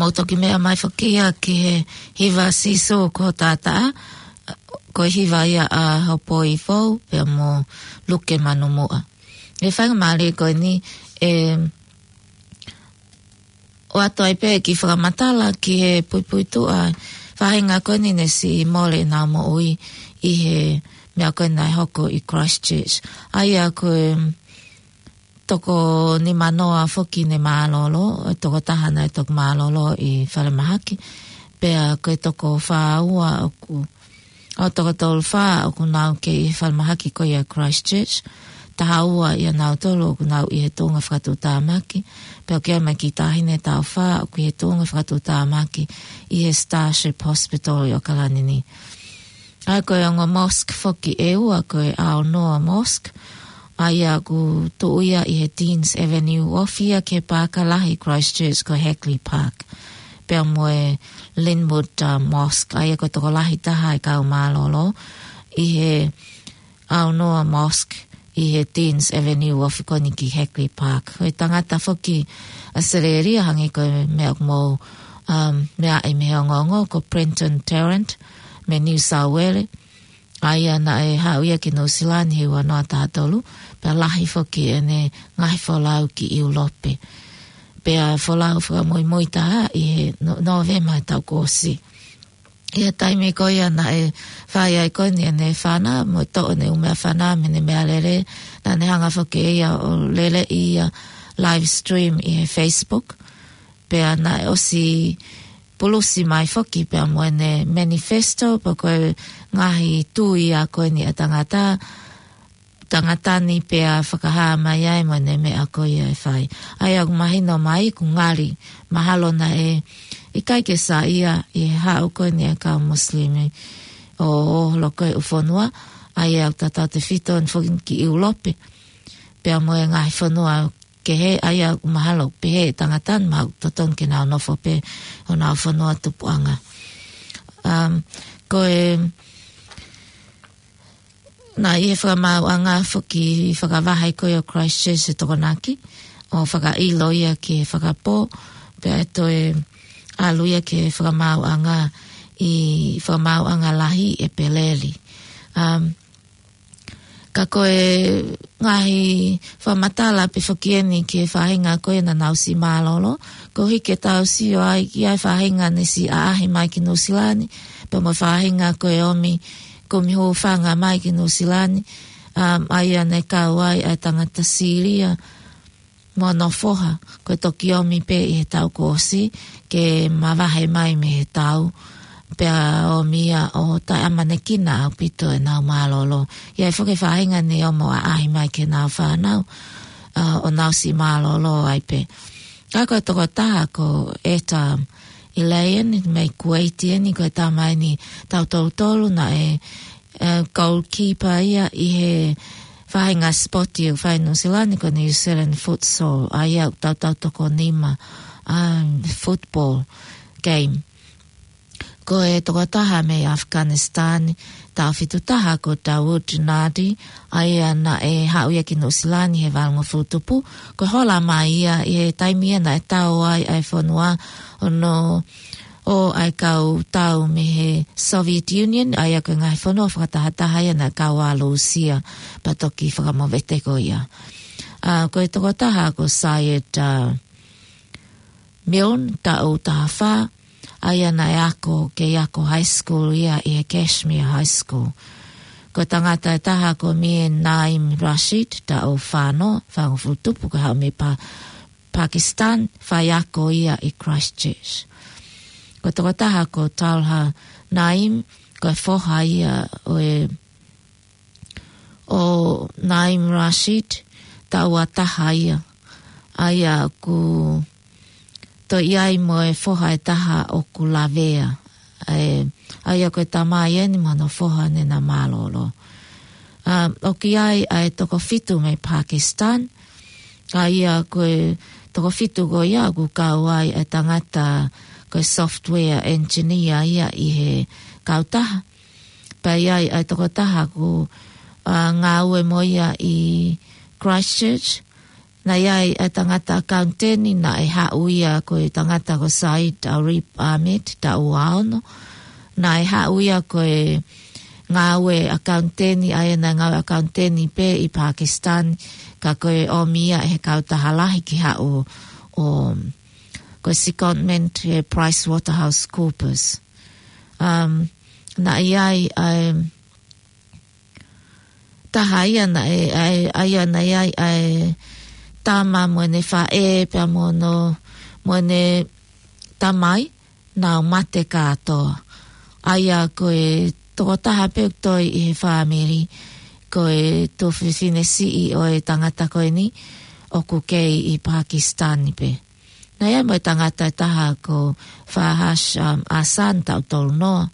ʻo toki meʻa mai foki ia ki he hiva Sīsū ko Tātaʻa, ko e hiva ia ʻa Hopoi Fou, pea mo Luke Manumuʻa. ʻI he faingamālie ko eni, ʻe ʻoatu ai pē kiʻi fakamatala ki he puipuituʻa faʻahinga ko eni naʻe siʻi mole ʻenau moʻui ʻi he meʻa ko eni naʻe hoko ʻi Christchurch. ʻA ia ko e toko nimanoa foki naʻe mālōlō, ʻa e tokotaha naʻe toki mālōlō ʻi falemahaki, pea ko e toko fā ua ʻoku, ʻa e toko tolu fā ʻoku nau kei ʻi falemahaki ko ia Christchurch, taha ua ʻia nautolu ʻoku nau ʻi he tuʻunga fakatuʻutāmaki, pea ʻoku ʻi ai mai e kiʻi taʻahine ʻe taha fā ʻoku ʻi he tuʻunga fakatuʻutāmaki ʻi he Starship Hospital ʻi ʻAokalani ni. ʻA ia ko e ongo mosque foki ʻe ua ko e Al Noor Mosque, ʻa ia ʻoku tuʻu ia ʻi he Deans Avenue, ofi ia ki he paaka lahi Christchurch ko Hagley Park. Pea mo e Linwood, uh, Mosque, ʻa ia ko e tokolahi taha e kau mālōlō ʻi he Al Noor Mosque ʻi he Deans Avenue, ofi ko eni ki Hagley Park. Ko e tangata foki ʻAositelēlia, hangē ko e meʻa ʻoku mou, um, meaʻi mei he ongoongo, ko Brenton Tarrant mei New South Wales. ʻA ia naʻe haʻu ia ki Nuʻusila ni he ua noa taha tolu, pea lahi foki ʻene ngaahi folau ki ʻIulope. Pea folau fakamuimui taha ʻi he No-, Nōvema taʻu kuo ʻosi. ʻI he taimi ko ia naʻe fai ai ko eni ʻene fana, mo e toʻo ʻene ʻū meʻafana mei heʻene meʻalele, naʻa ne hanga foki ʻe ia ʻo lele ia live stream ʻi he Facebook. Pea naʻe ʻosi pulusi mai foki pea mo ʻene manifesto, pea ko e ngaahi tui ʻa ko eni ʻa e tangata, tangata ni pea fakahā mai ai mo ʻene meʻa ko ia ʻe fai. ʻA ia ʻoku mahino mai ʻoku ngali mahalo naʻe ʻikai ke saiʻia ʻi he haʻu ko eni ʻa e kau Musilimi ʻo, ʻo holo ko ē ʻi he fonua, ʻa ia ʻoku tatau tefito eni foki ki ʻIulope, pea mo e ngaahi fonua kehe, ʻa ia ʻoku mahalo pehē ʻe he tangata ni mahalo totonu ke nau nofo pē ʻi honau fonua tupuʻanga. Um, ko e, naʻe ʻi he fakamaauʻanga foki fakavahe ko ia ʻo Christchurch ʻi Tokonaki, ʻo fakaʻilo ia ki he fakapō, pea ʻe toe ʻalu ia ki he fakamaauʻanga ʻi, fakamaauʻanga lahi ʻi ʻEpeleli. Um, ka ko e ngaahi fakamatala pē foki eni ki he faʻahinga ko ē naʻa nau siʻi mālōlō, koeʻuhi ke tau sio ai ki he faʻahinga naʻe siʻi ʻaʻahi mai ki Nuʻusila ni, pea mo e faʻahinga ko e ʻomi kumi hūfanga mai ki Nuʻusila ni, um, ʻa ia naʻe kau ai ʻa e tangata Sīlia mo hono foha, ko e toki ʻomi pē ʻi he taʻu kuo ʻosi ke mavahe mai mei he tau, pea ʻomi ia ʻo taʻeʻamanekina ʻaupito ʻenau mālōlō. ʻI ai foki e faʻahinga naʻe ō mo ʻaʻahi mai ki heʻenau fānau, ʻa, ʻo nau siʻi mālōlō ai pē. Ka ko e tokotaha ko Etta Elaine mei Kuwait eni, ko e tama eni taʻu tolu tolu, naʻe, ē, goalkeeper ia ʻi he faʻahinga sipoti ʻoku fai ʻi Nuʻusila ni ko e New Zealand Futsal, ʻa ia ʻoku tautau toko nima, um, football game. Ko e tokotaha mei Afghanistan, taʻu fitu taha ko Dawood Nardi, ʻa ia naʻe haʻu ia ki Nuʻusila ni he valungofulu tupu, ko e hola mai ia ʻi he taimi ia naʻe tau ai ʻa e fonua ʻo nau ō ʻa e kau tau mei he Soviet Union, ʻa ia ko e ngaahi fonua fakatahataha ia naʻe kau ai ʻa Lūsia, pea toki fakamovete ko ia. ʻA, ko e tokotaha ko Syed, ā, Milne, taʻu taha fā, ʻa ia naʻe ako, kei ako high school ia ʻi he Kashmere High School. Ko e tangata ʻe taha ko Mir Naeem Rashid, taʻu fā noa, fāngofulu tupu, ko e haʻu mei Pa-, Pakistan, faiako ia ʻi Christchurch. Ko e tokotaha ko Talha Naeem, ko e foha ia ʻo e, ʻo Naeem Rashid, taʻu ua taha ia. ʻA ia ʻoku toe ʻi ai mo e foha ʻe taha ʻoku lavea. ʻE, ʻa ia ko e tamai eni mo hono foha naʻa na mālōlō. ʻA, ʻoku ʻi ai ʻa e toko fitu mei Pakistan. ʻA ia ko e toko fitu ko ia ʻoku kau ai ʻa e tangata ko e software engineer ia ʻi he kautaha. Pea ʻi ai ʻa e tokotaha ʻoku, ā, ngāue mo ia ʻi Christchurch, Naʻe ʻi ai ʻa e tangata ʻakauniteni naʻe haʻu ia ko e tangata ko Said Arif Ahmed, taʻu ua ono. Naʻe haʻu ia ko e ngāue ʻakauniteni, ʻa ia naʻe ngāue ʻakauniteni pē ʻi Pakistan, ka ko e ʻomi ia ʻe he kautaha lahi ke haʻu ʻo, ko e secondment ʻe PricewaterhouseCoopers. Um, naʻe ʻi ai ʻa e taha ia naʻe, ʻa e, ʻa ia naʻe ʻi ai ʻa e tama mo ʻene faʻē pea mo hono, mo ʻene tamai, nau mate kātoa. ʻA ia ko e tokotaha pē ʻoku toe ʻi he fāmili, ko e tuofefine siʻi ʻo e tangata ko eni, ʻoku kei ʻi Pakistan pē. Naʻe ʻi ai mo e tangata ʻe taha ko Fahaz, um, Hassan, taʻu tolu noa.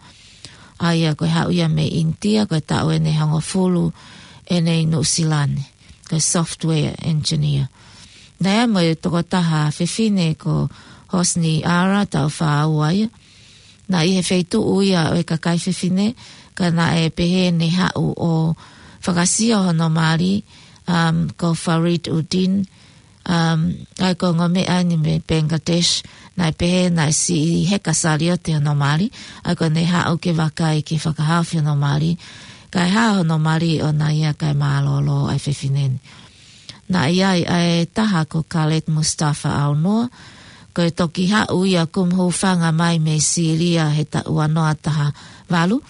ʻA ia ko e haʻu ia mei ʻInitia, ko e taʻu ʻe hongofulu ʻene ʻi Nuʻusila ni, ko e software engineer. Naʻe ʻi ai mo e tokotaha fefine ko Hosni Ara, taʻu fā ua ia. Naʻe ʻi he feituʻu ia ʻo e kakai fefine, ka naʻe pehē ne haʻu ʻo fakasio hono mali, um, ko Farid Uddin, um, ʻa ia ko e ongo meʻa eni mei Bangladesh, naʻe pehē naʻe siʻi heka saliote hono mali, ʻa ia ko ʻene haʻu ke vakai ke fakahaofi hono mali, kae hao hono mali ʻo nau ia kae mālōlō ʻa e fefine ni. Naʻe ʻi ai ʻa e taha ko Khaled Mustafa Aunoa, ko e toki haʻu ia kumi hūfanga mai mei Sīlia he taʻu ua noa taha valu,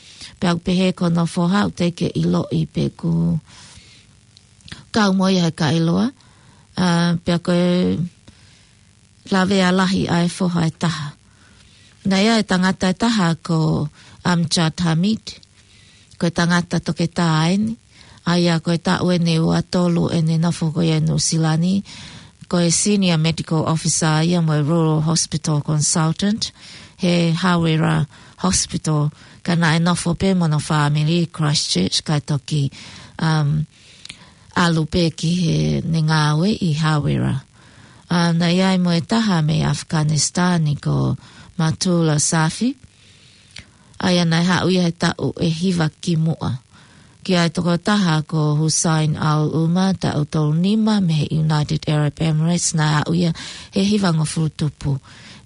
pea ʻoku pehē ko hono foha ʻoku teʻeki ke ʻiloʻi pe ʻoku kau mo ia he kaeloa, ʻa, pea ko e lavea lahi ʻa e foha ʻe taha. Naʻe ʻi ai e tangata ʻe taha ko Amjad Hamid, ko e tangata toketā eni, ʻa ia ko e taʻu ʻe ua tolu ʻene nofo ko ia ʻi Nuʻusila ni, ko e senior medical officer ia mo e rural hospital consultant, he Hawera Hospital, ka naʻe nofo pē mo hono fāmili ʻi Christchurch, kae toki, um, ʻalu pē ki heʻene ngāue ʻi Hawera. ʻA, naʻe ʻi ai mo e taha mei Afghanistan ko Matula Safi. ʻA ia naʻe haʻu ia he taʻu ʻe hiva kimuʻa. Ki ai tokotaha ko Hussein Al Umar, taʻu tolu nima mei he United Arab Emirates, naʻe haʻu ia he hivangofulu tupu.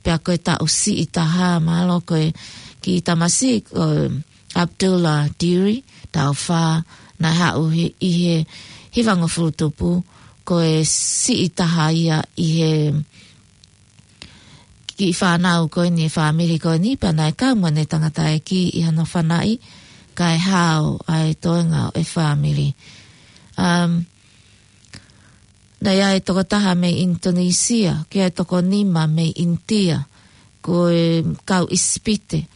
Pea ko e taʻu siʻi taha mālō ko e kiʻi tamasiʻi ko Abdullah Diri, taʻu fā, naʻe haʻu he, ʻi he hivangofulu tupu, ko e siʻi taha ia ʻi he kiʻi fānau ko eni, fāmili ko eni, pea naʻe kau mo ʻene tangataʻeiki ʻi hono fanaʻi, kae hao ʻa e toenga ʻo e fāmili. Um, naʻe ʻi ai e tokotaha mei ʻInitonisia, ki ai e toko nima mei ʻInitia, ko e kau ʻIsipite.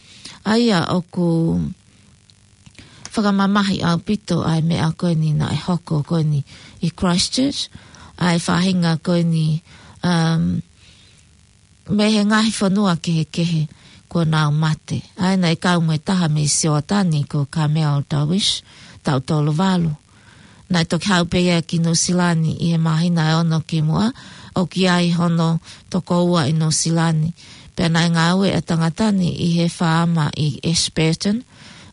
ʻA ia ʻoku fakamamahi ʻaupito ʻa e meʻa ko eni naʻe hoko ko eni ʻi Christchurch, ʻa e faʻahinga ko eni, um, mei he ngaahi fonua kehekehe kuo nau mate. ʻA ia naʻe kau mo e taha mei Siotani ko Kamel Darwish, taʻu tolu valu. Naʻe toki haʻu pē ia ki Nuʻusila ni ʻi he māhina ʻe ono kimuʻa, ʻoku ʻi ai hono tokoua ʻi Nuʻusila ni. Pea naʻe ngāue ʻa e tangata ni ʻi he faama ʻi Ashburton,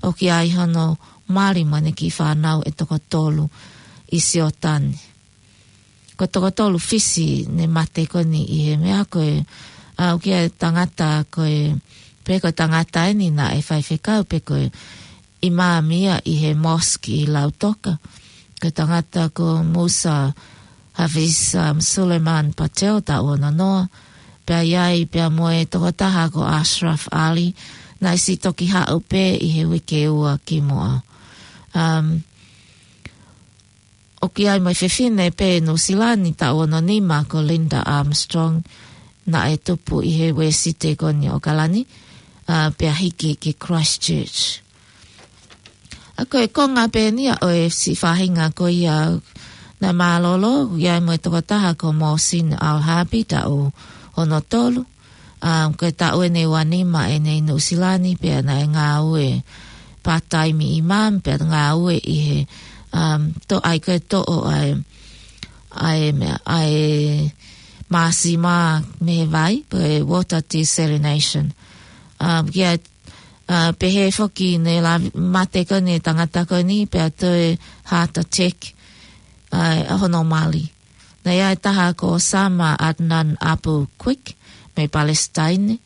ʻoku ʻi ai hono mali mo ʻene kiʻi fānau ʻe toko tolu ʻi Siotani. Ko e toko tolu fisi ne mate ko eni ʻi he meʻa ko e, ʻa, ʻoku ʻi ai e tangata ko e, pe ko e tangata eni naʻe faifekau pe ko e ʻimami ia ʻi he mosque ʻi Lautoka. Ko e tangata ko Musa Hafiz, um, Suleiman Patel, taʻu ono noa. Pea ʻi ai pea mo e tokotaha ko Ashraf Ali, naʻe siʻi toki haʻu pē ʻi he uike ua kimuʻa. Um, ʻOku ʻi ai mo e fefine pē Nuʻusila ni taʻu ono nima ko Linda Armstrong, naʻe tupu ʻi he Uēsite ko eni ʻAokalani, ʻa, pea hiki ki Christchurch. ʻA, ko e konga pē eni ia ʻo e siʻi faʻahinga ko ia naʻe mālōlō, ʻoku ʻi ai mo e tokotaha ko Mohsin Al-Harbi taʻu ono tolu, um, ko e taʻu ʻe ua nima ʻene ʻi Nuʻusila ni pea naʻe ngāue part-time imam pea ngāue ʻi he, um, to-, ʻa ia ko e toʻo ʻa e, ʻa e meʻa, ʻa e māsima mei he vai, ko e water desalination. Um, ki ai, uh, pehē foki ne la-, mate ko eni e tangata ko eni pea toe heart attack, ʻa, ʻa hono mali. Naʻe ʻi ai e taha ko Sama Adnan Abu Quick, mei Palestine.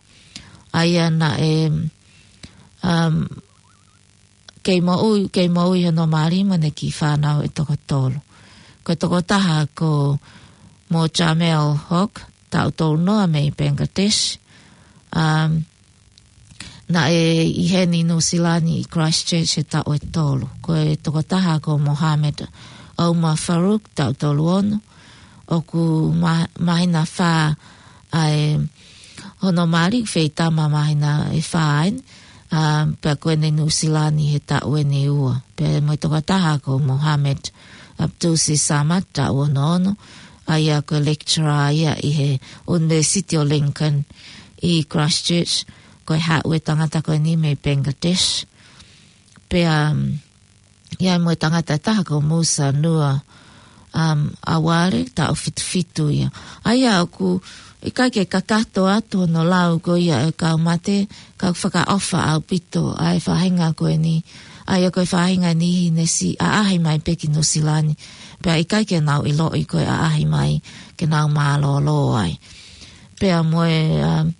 ʻA ia naʻe, um, kei moʻui, kei moʻui hono mali mo ʻene kiʻi fānau ʻe toko tolu. Ko e tokotaha ko Mojamel Haq, taʻu tolu noa mei Bangladesh. Um, naʻe ʻi heni Nuʻusila ni ʻi Christchurch he taʻu ʻe tolu. Ko e tokotaha ko Mohamed Omar Farouk, taʻu tolu ono. ʻOku ma-, māhina fā ʻa e hono mali, feitama māhina ʻe fā eni, a, pea ko ʻene Nuʻusila ni he taʻu eni ʻe ua. Pea mo e tokotaha ko Mohamed Abdusi Samad, taʻu ono ono, ʻa ia ko e lecturer ia ʻi he University of Lincoln ʻi Christchurch, ko e haʻu e tangata ko eni mei Bangladesh. Pea, um, ʻi ai mo e tangata ʻe taha ko Musa Nua, um, Aware, taʻu fitu fitu ia. ʻA ia ʻoku ʻikai ke kakato atu hono lau ko ia e kau mate, ka ʻoku fakaʻofa ʻaupito ʻa e faʻahinga ko eni. ʻA ia ko e faʻahinga ʻe niʻihi ne siʻi ʻaʻahi mai pē ki Nuʻusila ni. Pea ʻikai ke nau ʻiloʻi ko e ʻaʻahi mai ke nau mālōlō ai. Pea mo e, um,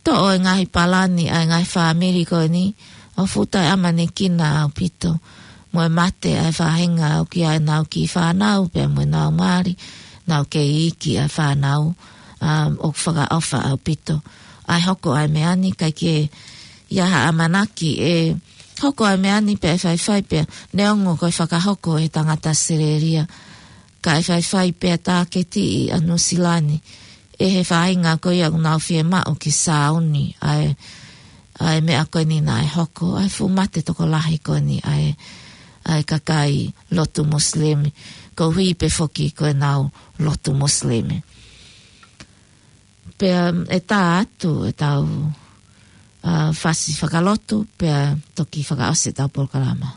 toʻo e ngaahi palani ʻa e ngaahi fāmili ko eni, ʻoku fuʻu taʻeʻamanekina ʻaupito. Mo e mate ʻa e faʻahinga ʻoku ʻi ai ʻenau kiʻi fānau, pea mo ʻenau mali, nau kei iiki ʻa e fānau, um, ʻoku fakaʻofa ʻaupito. ʻA e hoko ʻa e meʻa ni, ʻikai ke ʻi ai ha ʻamanaki ʻe hoko ʻa e meʻa ni pe ʻe faifai pea, neongo ko e fakahoko ʻe he tangata Australia. Ka ʻe faifai pea tāketiʻi ʻa Nuʻusila ni ʻe he faʻahinga ko ia ʻoku nau fiemaʻu ke sāuni ʻa e, ʻa e meʻa ko eni naʻe hoko, ʻa e fuʻu mate tokolahi ko eni ʻa e, ʻa e kakai lotu Muslim, koeʻuhi pē foki ko ʻenau lotu Muslim. Pea ʻe tā atu ʻetau, a, fasi fakalotu, pea toki fakaʻosi ʻetau polokalama.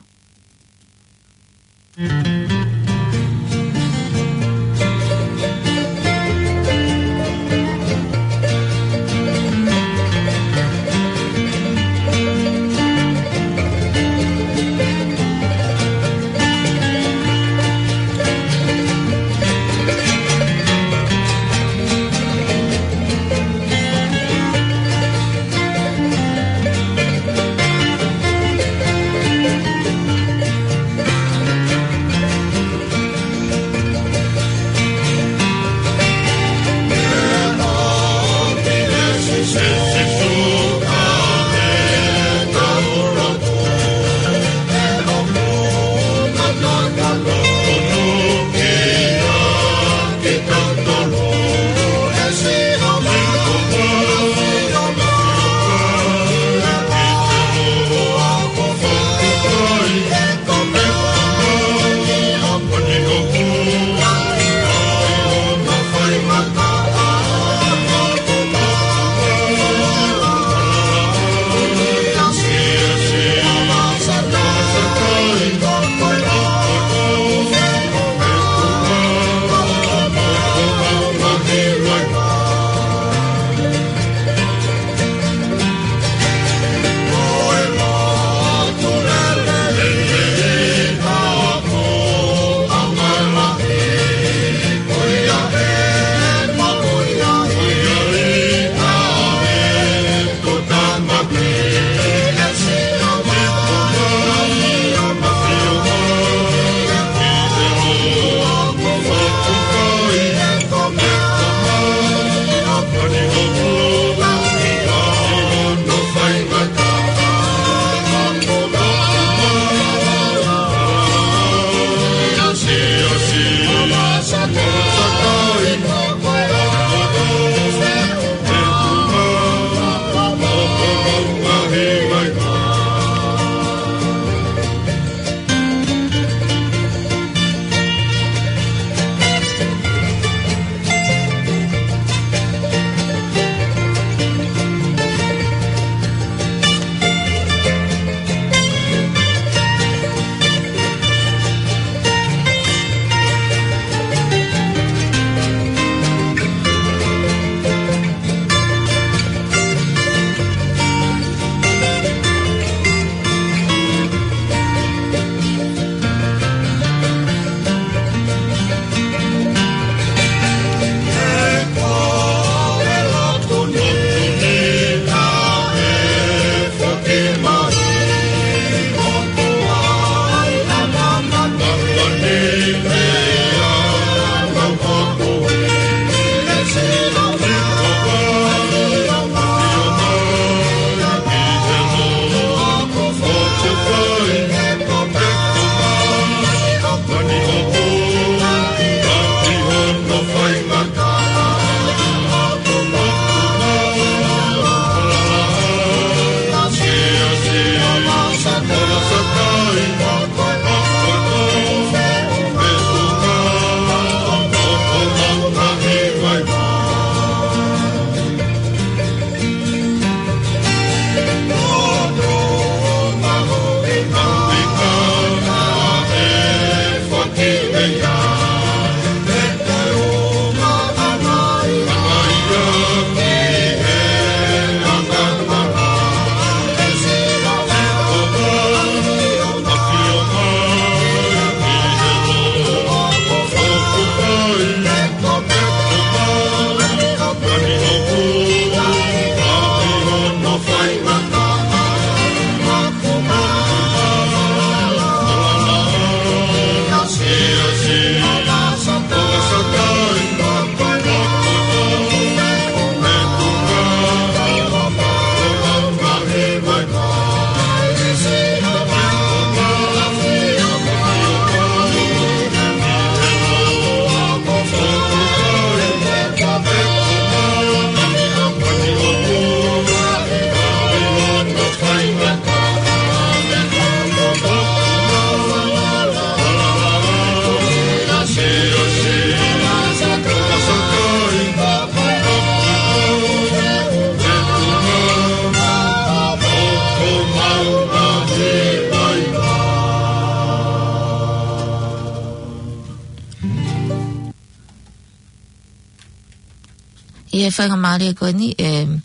ʻI he faingamālie ko eni, ʻe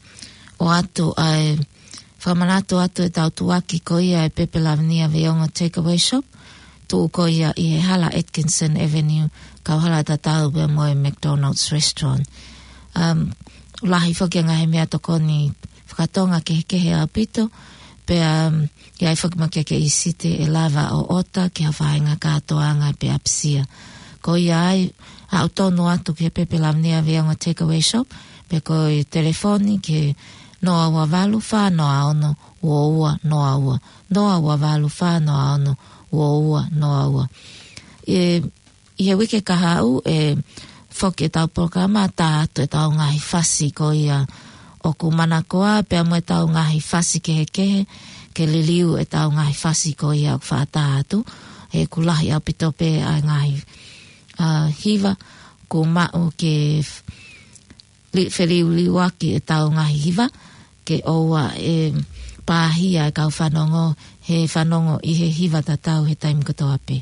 ʻoatu ai, fakamanatu atu ʻetau tuʻuaki ko ia ʻa e Pepe Lavinia Veiongo Takeaway Shop, tuʻu ko ia ʻi he hala Atkinson Avenue, kauhala tatau pea mo e McDonald's Restaurant. Um, lahi foki ʻa e ngaahi meʻatokoni fakatonga kehekehe ʻaupito, pea, um, ʻi ai foki mo e kiʻi site ʻe lava ʻo ʻota ki ha faʻahinga kātoanga pe ʻapisia. Ko ia ai, ʻaʻu tonu atu ki he Pepe Lavinia Veiongo Takeaway Shop, pe ko e telefoni ki he noa ua valu fā noa ono ua ua noa ua, noa ua valu fā noa ono ua ua noa ua. ʻE, ʻi he uike kahaʻu ʻe foki ʻetau polokalama tā atu ʻetau ngaahi fasi ko ia ʻoku manakoa pea mo ʻetau ngaahi fasi kehekehe ke liliu ʻetau ngaahi fasi ko ia ʻoku faʻa tā atu. ʻE ʻoku lahi ʻaupito pē ʻa e ngaahi, ʻa, hiva ʻoku maʻu ke f-, li-, feliuliuaki ʻetau ngaahi hiva ke ʻoua ʻe pāhia e kau fanongo he fanongo ʻi he hiva tatau he taimi kotoa pē.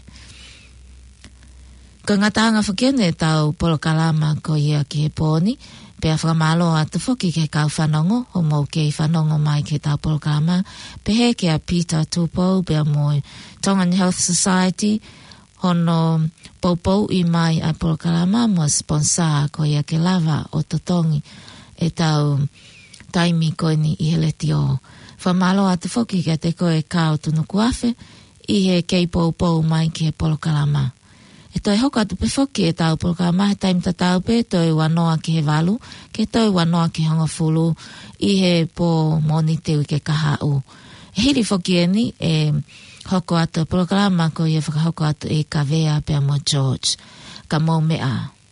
Ko e ngataʻanga foki eni ʻetau polokalama ko ia ki he pō ni, pea fakamālō atu foki ki he kau fanongo ʻoku mou kei fanongo mai ki heʻetau polokalama, pehē kia Peter Tupou pea mo e Tongan Health Society, hono poupouʻi mai ʻa e polokalama mo e sponsor ko ia ke lava ʻo totongi ʻetau taimi ko eni ʻi he letiō. Fakamālō atu foki kiate koe Kao Tunukuafe ʻi he kei poupou mai ki he polokalama. ʻE toe hoko atu pē foki ʻetau polokalama he taimi tatau pē, toe ua noa ki he valu, ke toe ua noa ki he hongofulu ʻi he pō Mōnite uike kahaʻu. ʻE hili foki eni ʻe hoko atu e polokalama ko ia fakahoko atu ʻe Kavea pea mo George. Ka mou meʻa ā.